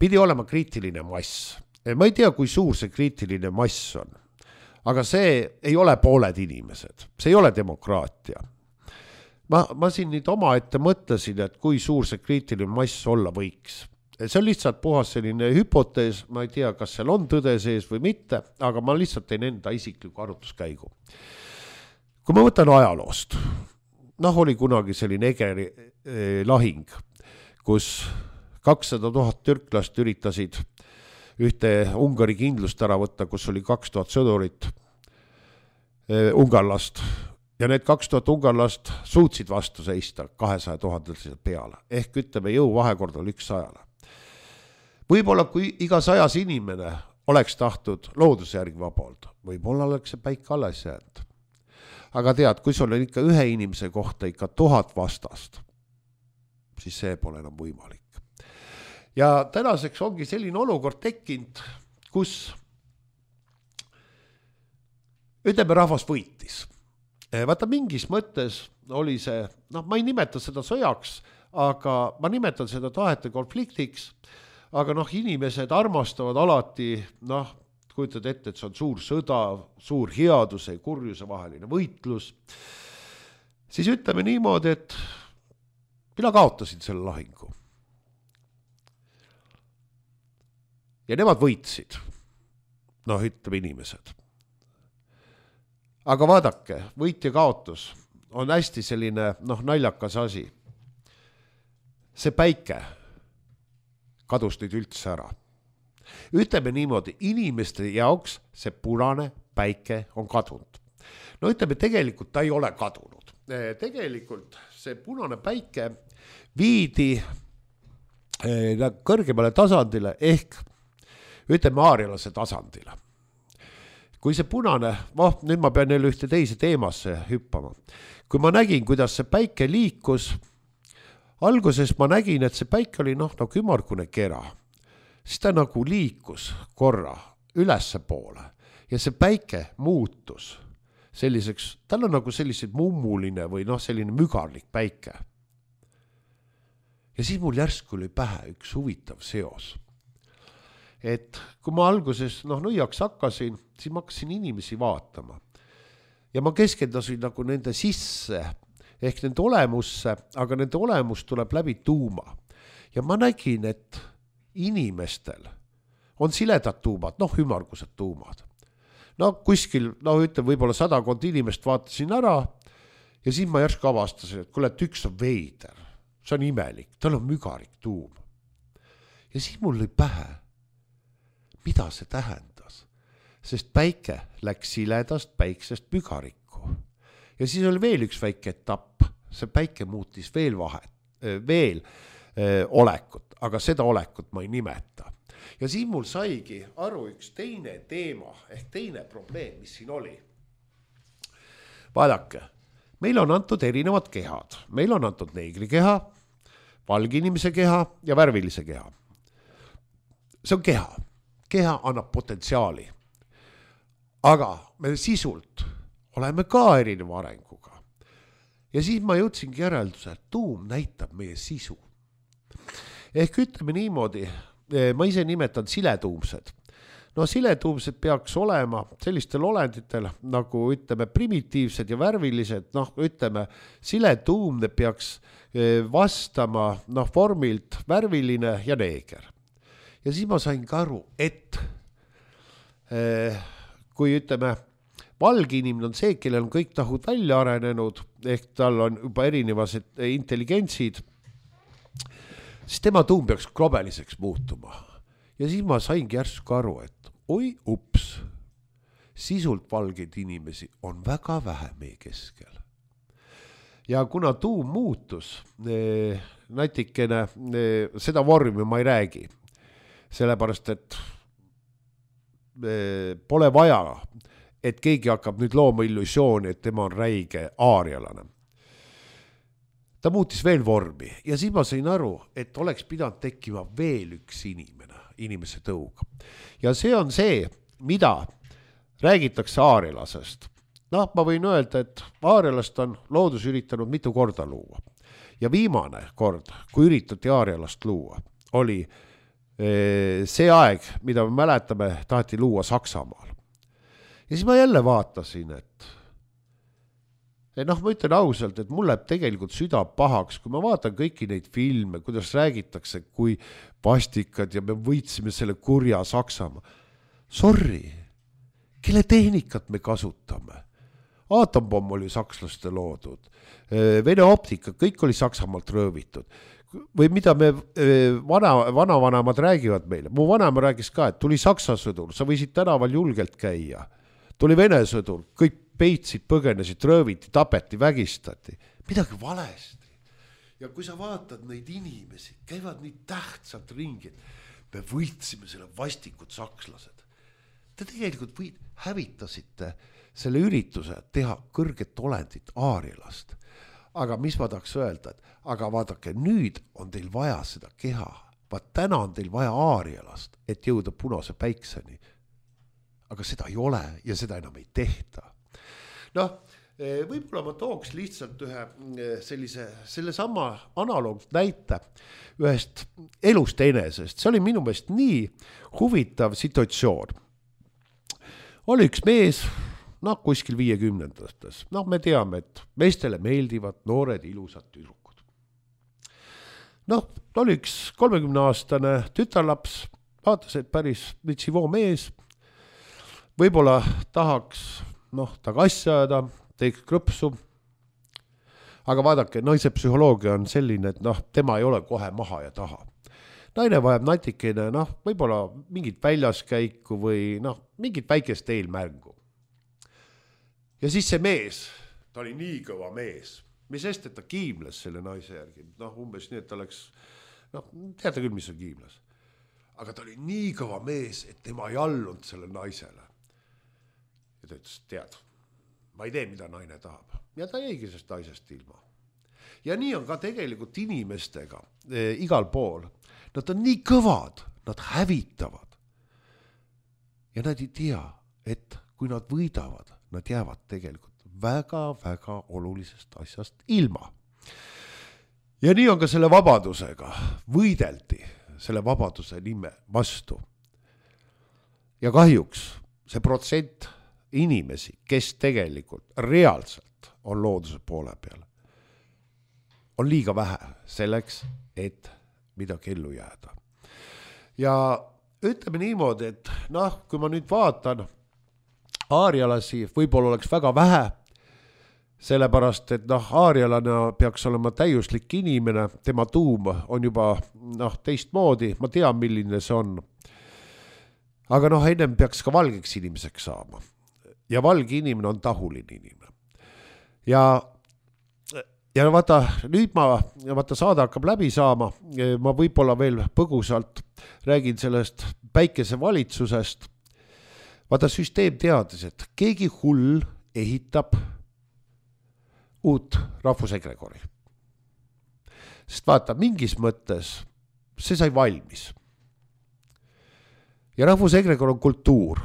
pidi olema kriitiline mass. Ma ei tea, kui suur see kriitiline mass on, aga see ei ole pooled inimesed, see ei ole demokraatia. Ma, ma siin nüüd oma ette mõtlesin, et kui suur see kriitiline mass olla võiks. See on lihtsalt puhas selline hüpotees, ma ei tea, kas seal on tõde sees või mitte, aga ma lihtsalt teen enda isikliku arvutuskäigu. Kui ma võtan ajaloost, noh, oli kunagi selline Egeri eh, lahing, kus kakssada tuhat türklast üritasid ühte Ungari kindlust ära võtta, kus oli kaks tuhat sõdurit eh, ungarlast. Ja need kaks tuhat ungarlast suutsid vastu seista kahesaja tuhande peale. Ehk ütleme, jõu vahekord oli üks sajale. Võib-olla kui iga sajas inimene oleks tahtnud looduse järgi vabalt, võib-olla oleks see päik alles jäänud. Aga tead, kui sul on ikka ühe inimese kohta ikka tuhat vastast, siis see pole enam võimalik. Ja tänaseks ongi selline olukord tekkinud, kus ütleme, rahvas võitis. Vaata, mingis mõttes oli see, noh, ma ei nimeta seda sõjaks, aga ma nimetan seda tahete konfliktiks. Aga noh, inimesed armastavad alati, noh, kujutad ette, et see on suur sõda, suur headuse ja kurjuse vaheline võitlus. Siis ütleme niimoodi, et mina kaotasin selle lahingu. Ja nemad võitsid, noh, ütleme inimesed. Aga vaadake, võit ja kaotus on hästi selline, noh, naljakas asi. See päike kadus nüüd üldse ära. Ütleme niimoodi, inimeste jaoks see punane päike on kadunud. No ütleme, tegelikult ta ei ole kadunud. Tegelikult see punane päike viidi kõrgemale tasandile ehk ütleme aarialase tasandile. Kui see punane, oh, nüüd ma pean jälle ühte teise teemasse hüppama. Kui ma nägin, kuidas see päike liikus, alguses ma nägin, et see päike oli noh, nagu ümargune kera. Siis ta nagu liikus korra ülesse poole ja see päike muutus selliseks, tal on nagu sellised mummuline või noh, selline mügarlik päike. Ja siis mul järsku oli pähe üks huvitav seos. Et kui ma alguses noh, nõiaks hakkasin, siis ma hakkasin inimesi vaatama. Ja ma keskendasin nagu nende sisse, ehk nende olemusse, aga nende olemus tuleb läbi tuuma. Ja ma nägin, et inimestel on siledad tuumad, noh, ümargused tuumad. No kuskil, no ütleme, võib-olla sadakond inimest vaatasin ära ja siis ma järsku avastasin, et kuule, et üks on veider, see on imelik, tal on mügarik tuum. Ja siis mul lõi pähe, mida see tähendas, sest päike läks siledast päiksest mügarikku. Ja siis oli veel üks väike etapp, see päike muutis veel vahet, veel öö, olekut, aga seda olekut ma ei nimeta. Ja siis mul saigi aru üks teine teema, ehk teine probleem, mis siin oli. Vaadake, meil on antud erinevad kehad. Meil on antud neegri keha, valge inimese keha ja värvilise keha. See on keha. Keha annab potentsiaali. Aga me sisult oleme ka erineva arenguga. Ja siis ma jõudsingi järelduse, et tuum näitab meie sisu. Ehk ütleme niimoodi, ma ise nimetan siletuumsed. No siletuumsed peaks olema sellistel olenditel, nagu ütleme primitiivsed ja värvilised, noh ütleme siletuumne peaks vastama noh, vormilt värviline ja neeger. Ja siis ma sain ka aru, et eh, kui ütleme, valge inimene on see, kellel on kõik tahud välja arenenud, ehk tal on juba erinevased intelligentsid, siis tema tuum peaks globeliseks muutuma. Ja siis ma saingi järsku aru, et oi ups, sisult valgeid inimesi on väga vähe meie keskel. Ja kuna tuum muutus, eh, natikene eh, seda vormi ma ei räägi, sellepärast, et eh, pole vaja, et keegi hakkab nüüd looma illusiooni, et tema on räige aarialane. Ta muutis veel vormi ja siis ma sain aru, et oleks pidanud tekkima veel üks inimene, inimese tõuga. Ja see on see, mida räägitakse aarialasest. Noh, ma võin öelda, et aarialast on loodus üritanud mitu korda luua. Ja viimane kord, kui üritati aarialast luua, oli see aeg, mida me mäletame, taheti luua Saksamaal. Ja siis ma jälle vaatasin, et noh, ma ütlen ausalt, et mul läheb tegelikult süda pahaks, kui ma vaatan kõiki neid filme, kuidas räägitakse, kui vastikad ja me võitsime selle kurja Saksamaa. Sorry, kelle tehnikat me kasutame? Aatompomm oli sakslaste loodud, Vene optika, kõik oli Saksamaalt röövitud. Või mida me vana, vanavanemad räägivad meile. Mu vanema räägis ka, et tuli Saksa sõdur, sa võisid tänaval julgelt käia. Tuli Vene sõdur, kõik peitsid, põgenesid, rööviti, tapeti, vägistati. Midagi valesti. Ja kui sa vaatad neid inimesi, käivad nii tähtsad ringid, me võitsime selle vastikud sakslased. Te tegelikult võid, hävitasite selle ürituse teha kõrget olendit aarialast. Aga mis ma tahaks öelda, et aga vaadake, nüüd on teil vaja seda keha. Vaat täna on teil vaja aarialast, et jõuda punase päikseni. Aga seda ei ole ja seda enam ei tehta. Noh, võib-olla ma tooks lihtsalt ühe sellise, selle sama analoog näite ühest elust enesest. See oli minu meelest nii huvitav situatsioon. Oli üks mees, noh, kuskil viiekümnendates. Noh, me teame, et meestele meeldivad noored ilusad tüdrukud. Noh, oli üks kolmekümne aastane tütarlaps, vaatas, et päris vitsivoo mees, võib-olla tahaks, noh, taga asja ajada, teeks krõpsu, aga vaadake, naise psühholoogia on selline, et noh, tema ei ole kohe maha ja taha. Naine vajab natikene, noh, võib-olla mingit väljaskäiku või noh, mingit väikest eelmärgu. Ja siis see mees, ta oli nii kõva mees, mis sest, et ta kiimles selle naise järgi, noh, umbes nii, et ta oleks, noh, teate küll, mis on kiimles. aga ta oli nii kõva mees, et tema ei allunud selle naisele. Ja ta ütles, tead, ma ei tee, mida naine tahab. Ja ta jäigi sellest naisest ilma. Ja nii on ka tegelikult inimestega e, igal pool. Nad on nii kõvad, nad hävitavad. Ja nad ei tea, et kui nad võidavad, nad jäävad tegelikult väga-väga olulisest asjast ilma. Ja nii on ka selle vabadusega. Võideldi selle vabaduse nime vastu. Ja kahjuks see protsent inimesi, kes tegelikult reaalselt on looduse poole peal, on liiga vähe selleks, et midagi ellu jääda. Ja ütleme niimoodi, et noh, kui ma nüüd vaatan aarialasi, võib-olla oleks väga vähe, sellepärast, et noh, aarialana peaks olema täiuslik inimene, tema tuum on juba noh, teistmoodi, ma tean, milline see on. Aga noh, ennem peaks ka valgeks inimeseks saama. Ja valge inimene on tahuline inimene. Ja Ja vaata, nüüd ma, vaata saada hakkab läbi saama, ma võib-olla veel põgusalt räägin sellest päikese valitsusest. Vaata, süsteem teadis, et keegi hull ehitab uut rahvusegregori. Sest vaata, mingis mõttes see sai valmis. Ja rahvusegregor on kultuur.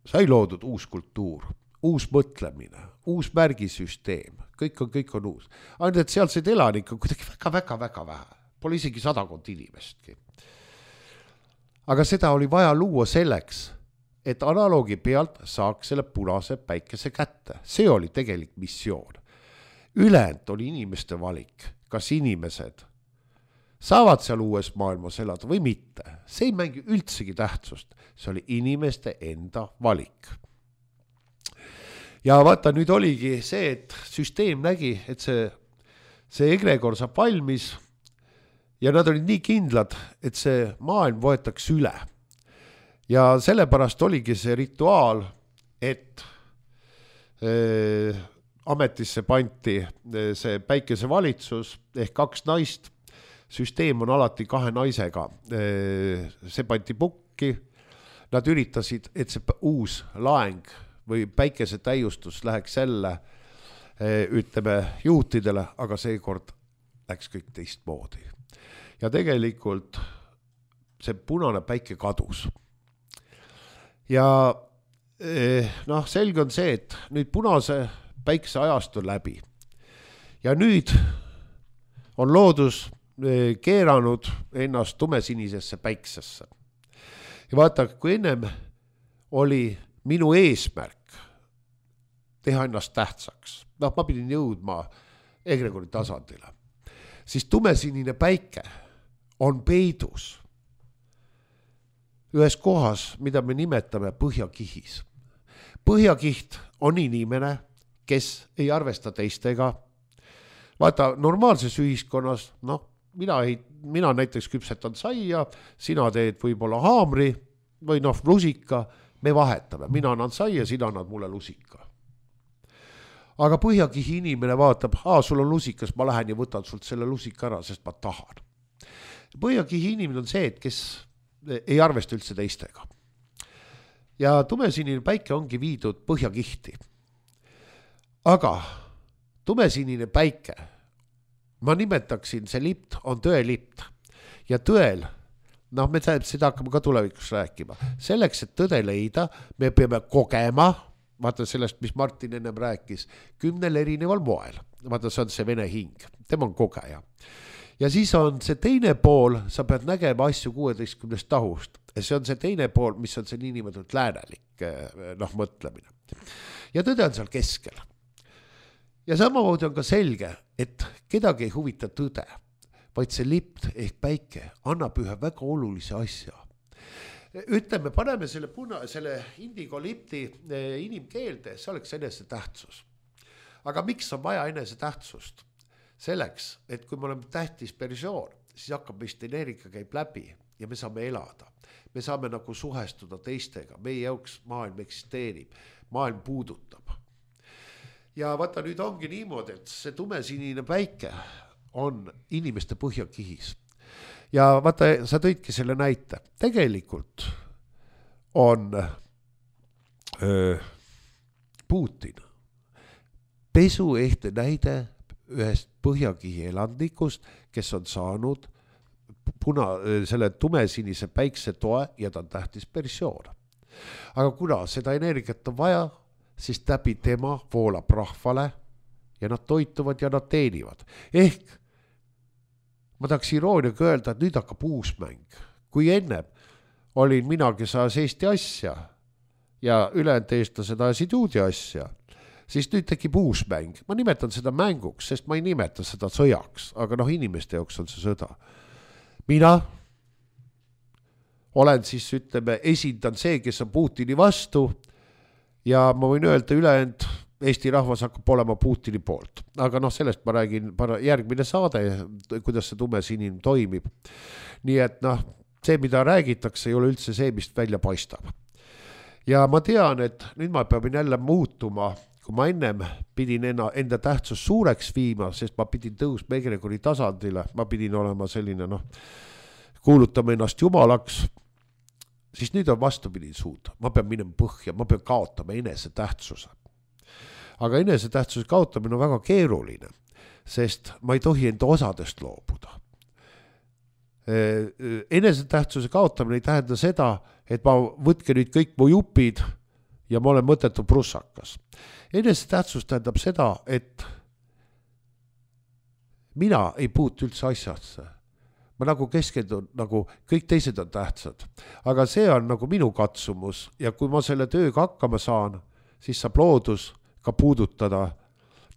Sai loodud uus kultuur, uus mõtlemine, uus märgisüsteem. Kõik on, kõik on uus. Ainult, et sealseid elanikke on kuidagi väga, väga, väga vähe. Pole isegi sadakond inimestki. Aga seda oli vaja luua selleks, et analoogi pealt saaks selle punase päikese kätte. See oli tegelik missioon. Ülejäänud oli inimeste valik. Kas inimesed saavad seal uues maailmas elada või mitte? See ei mängi üldsegi tähtsust. See oli inimeste enda valik. Ja vaata, nüüd oligi see, et süsteem nägi, et see, see egregor saab valmis ja nad olid nii kindlad, et see maailm võetakse üle. Ja sellepärast oligi see rituaal, et äh, ametisse panti see päikese valitsus ehk kaks naist. Süsteem on alati kahe naisega. Äh, see panti pukki. Nad üritasid, et see uus laeng või päikese täiustus läheks selle, ütleme, juutidele, aga seekord läks kõik teistmoodi. Ja tegelikult see punane päike kadus. Ja noh, selge on see, et nüüd punase päikse ajast on läbi. Ja nüüd on loodus keeranud ennast tumesinisesse päiksesse. Ja vaata, kui ennem oli minu eesmärk teha ennast tähtsaks. Noh, ma pidin jõudma egregori tasandile. Siis tumesinine päike on peidus ühes kohas, mida me nimetame põhjakihis. Põhjakiht on inimene, kes ei arvesta teistega. Vaata, normaalses ühiskonnas, noh, mina, ei, mina näiteks küpsetan saia, sina teed võib-olla haamri või noh, lusika, me vahetame. Mina annan saia, sina annad mulle lusika. Aga põhjakihi inimene vaatab, aa, sul on lusikas, ma lähen ja võtan sult selle lusika ära, sest ma tahan. Põhjakihi inimene on see, et kes ei arvesta üldse teistega. Ja tumesinine päike ongi viidud põhjakihti. Aga tumesinine päike, ma nimetaksin, see lipt on tõelipt. Ja tõel, noh, me seda hakkame ka tulevikus rääkima. Selleks, et tõde leida, me peame kogema, vaata sellest, mis Martin ennem rääkis, kümnel erineval moel. Vaata, see on see vene hing, tema on kogeja. Ja siis on see teine pool, sa pead nägema asju kuueteistkümnest tahust. Ja see on see teine pool, mis on see niinimetatud läänelik noh, mõtlemine. Ja tõde on seal keskel. Ja samamoodi on ka selge, et kedagi ei huvita tõde, vaid see lipt ehk päike annab ühe väga olulise asja. Ütleme, paneme selle, puna, selle indigo lipti inimkeelde, see oleks enese tähtsus. Aga miks on vaja enese tähtsust? Selleks, et kui me oleme tähtis persoon, siis hakkab meist energia käib läbi ja me saame elada. Me saame nagu suhestuda teistega, meie jaoks maailm eksisteerib, maailm puudutab. Ja vaata, nüüd ongi niimoodi, et see tumesinine päike on inimeste põhjakihis. ja vaata, sa tõidki selle näite. Tegelikult on öö, Putin pesuehte näide ühest põhjakihi elandikust, kes on saanud puna, selle tumesinise päikse toe ja ta on tähtis persioon. Aga kuna seda energiat on vaja, siis läbi tema voolab rahvale ja nad toituvad ja nad teenivad. Ehk ma tahaks irooniaga öelda, et nüüd hakkab uus mäng. Kui enne olin mina, kes ajas Eesti asja ja ülejäänud eestlased ajasid juudi asja, siis nüüd tekib uus mäng. Ma nimetan seda mänguks, sest ma ei nimeta seda sõjaks, aga noh, inimeste jaoks on see sõda. Mina olen siis, ütleme, esindan see, kes on Putini vastu ja ma võin öelda ülejäänud Eesti rahvas hakkab olema Putini poolt. Aga noh, sellest ma räägin järgmine saade, kuidas see tumesinine toimib. Nii et noh, see, mida räägitakse, ei ole üldse see, mis välja paistab. Ja ma tean, et nüüd ma pean jälle muutuma, kui ma ennem pidin enda tähtsus suureks viima, sest ma pidin tõusma egregori tasandile, ma pidin olema selline, noh, kuulutama ennast jumalaks, siis nüüd on vastupidi suuda. Ma pean minema põhja, ma pean kaotama enese tähtsuse. Aga enese tähtsuse kaotamine on väga keeruline, sest ma ei tohi enda osadest loobuda. Enese tähtsuse kaotamine ei tähenda seda, et ma võtke nüüd kõik mu jupid ja ma olen mõtetu prussakas. Enese tähtsus tähendab seda, et mina ei puutu üldse asjasse. Ma nagu keskendun, nagu kõik teised on tähtsad. Aga see on nagu minu katsumus ja kui ma selle tööga hakkama saan, siis saab loodus ka puudutada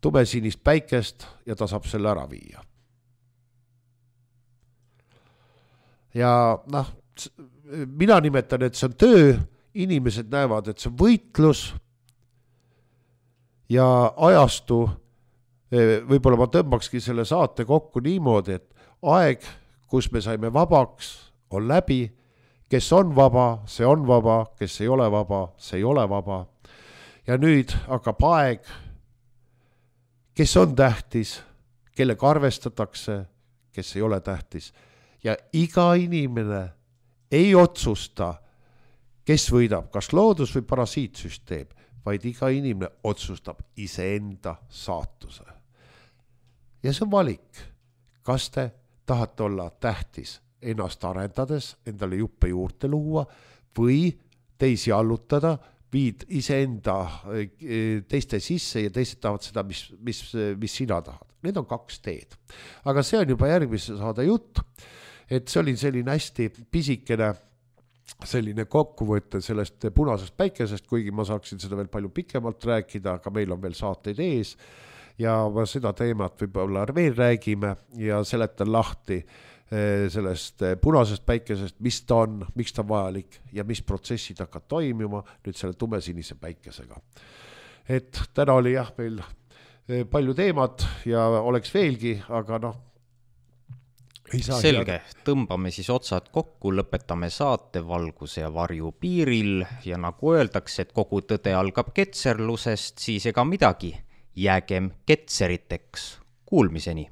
tumesinist päikest ja ta saab selle ära viia. Ja noh, mina nimetan, et see on töö, inimesed näevad, et see on võitlus ja ajastu, võib-olla ma tõmbakski selle saate kokku niimoodi, et aeg, kus me saime vabaks, on läbi, kes on vaba, see on vaba, kes ei ole vaba, see ei ole vaba. Ja nüüd hakkab aeg, kes on tähtis, kellega arvestatakse, kes ei ole tähtis. Ja iga inimene ei otsusta, kes võidab, kas loodus või parasiitsüsteem, vaid iga inimene otsustab iseenda saatuse. Ja see on valik. Kas te tahate olla tähtis ennast arendades, endale juppe juurde luua või teisi allutada, viid iseenda teiste sisse ja teised tahavad seda, mis, mis, mis sina tahad. Need on kaks teed. Aga see on juba järgmise saade jutt, et see oli selline hästi pisikene selline kokkuvõte sellest punasest päikesest, kuigi ma saaksin seda veel palju pikemalt rääkida, aga meil on veel saateid ees ja seda teemat võib-olla veel räägime ja seletan lahti sellest punasest päikesest, mis ta on, miks ta vajalik ja mis protsessid hakkab toimima nüüd selle tumesinise päikesega. Et täna oli jah meil palju teemat ja oleks veelgi, aga noh, selge, tõmbame siis otsad kokku, lõpetame saate valguse ja varju piiril ja nagu öeldakse, et kogu tõde algab ketserlusest, siis ega midagi, jäägem ketseriteks. Kuulmiseni!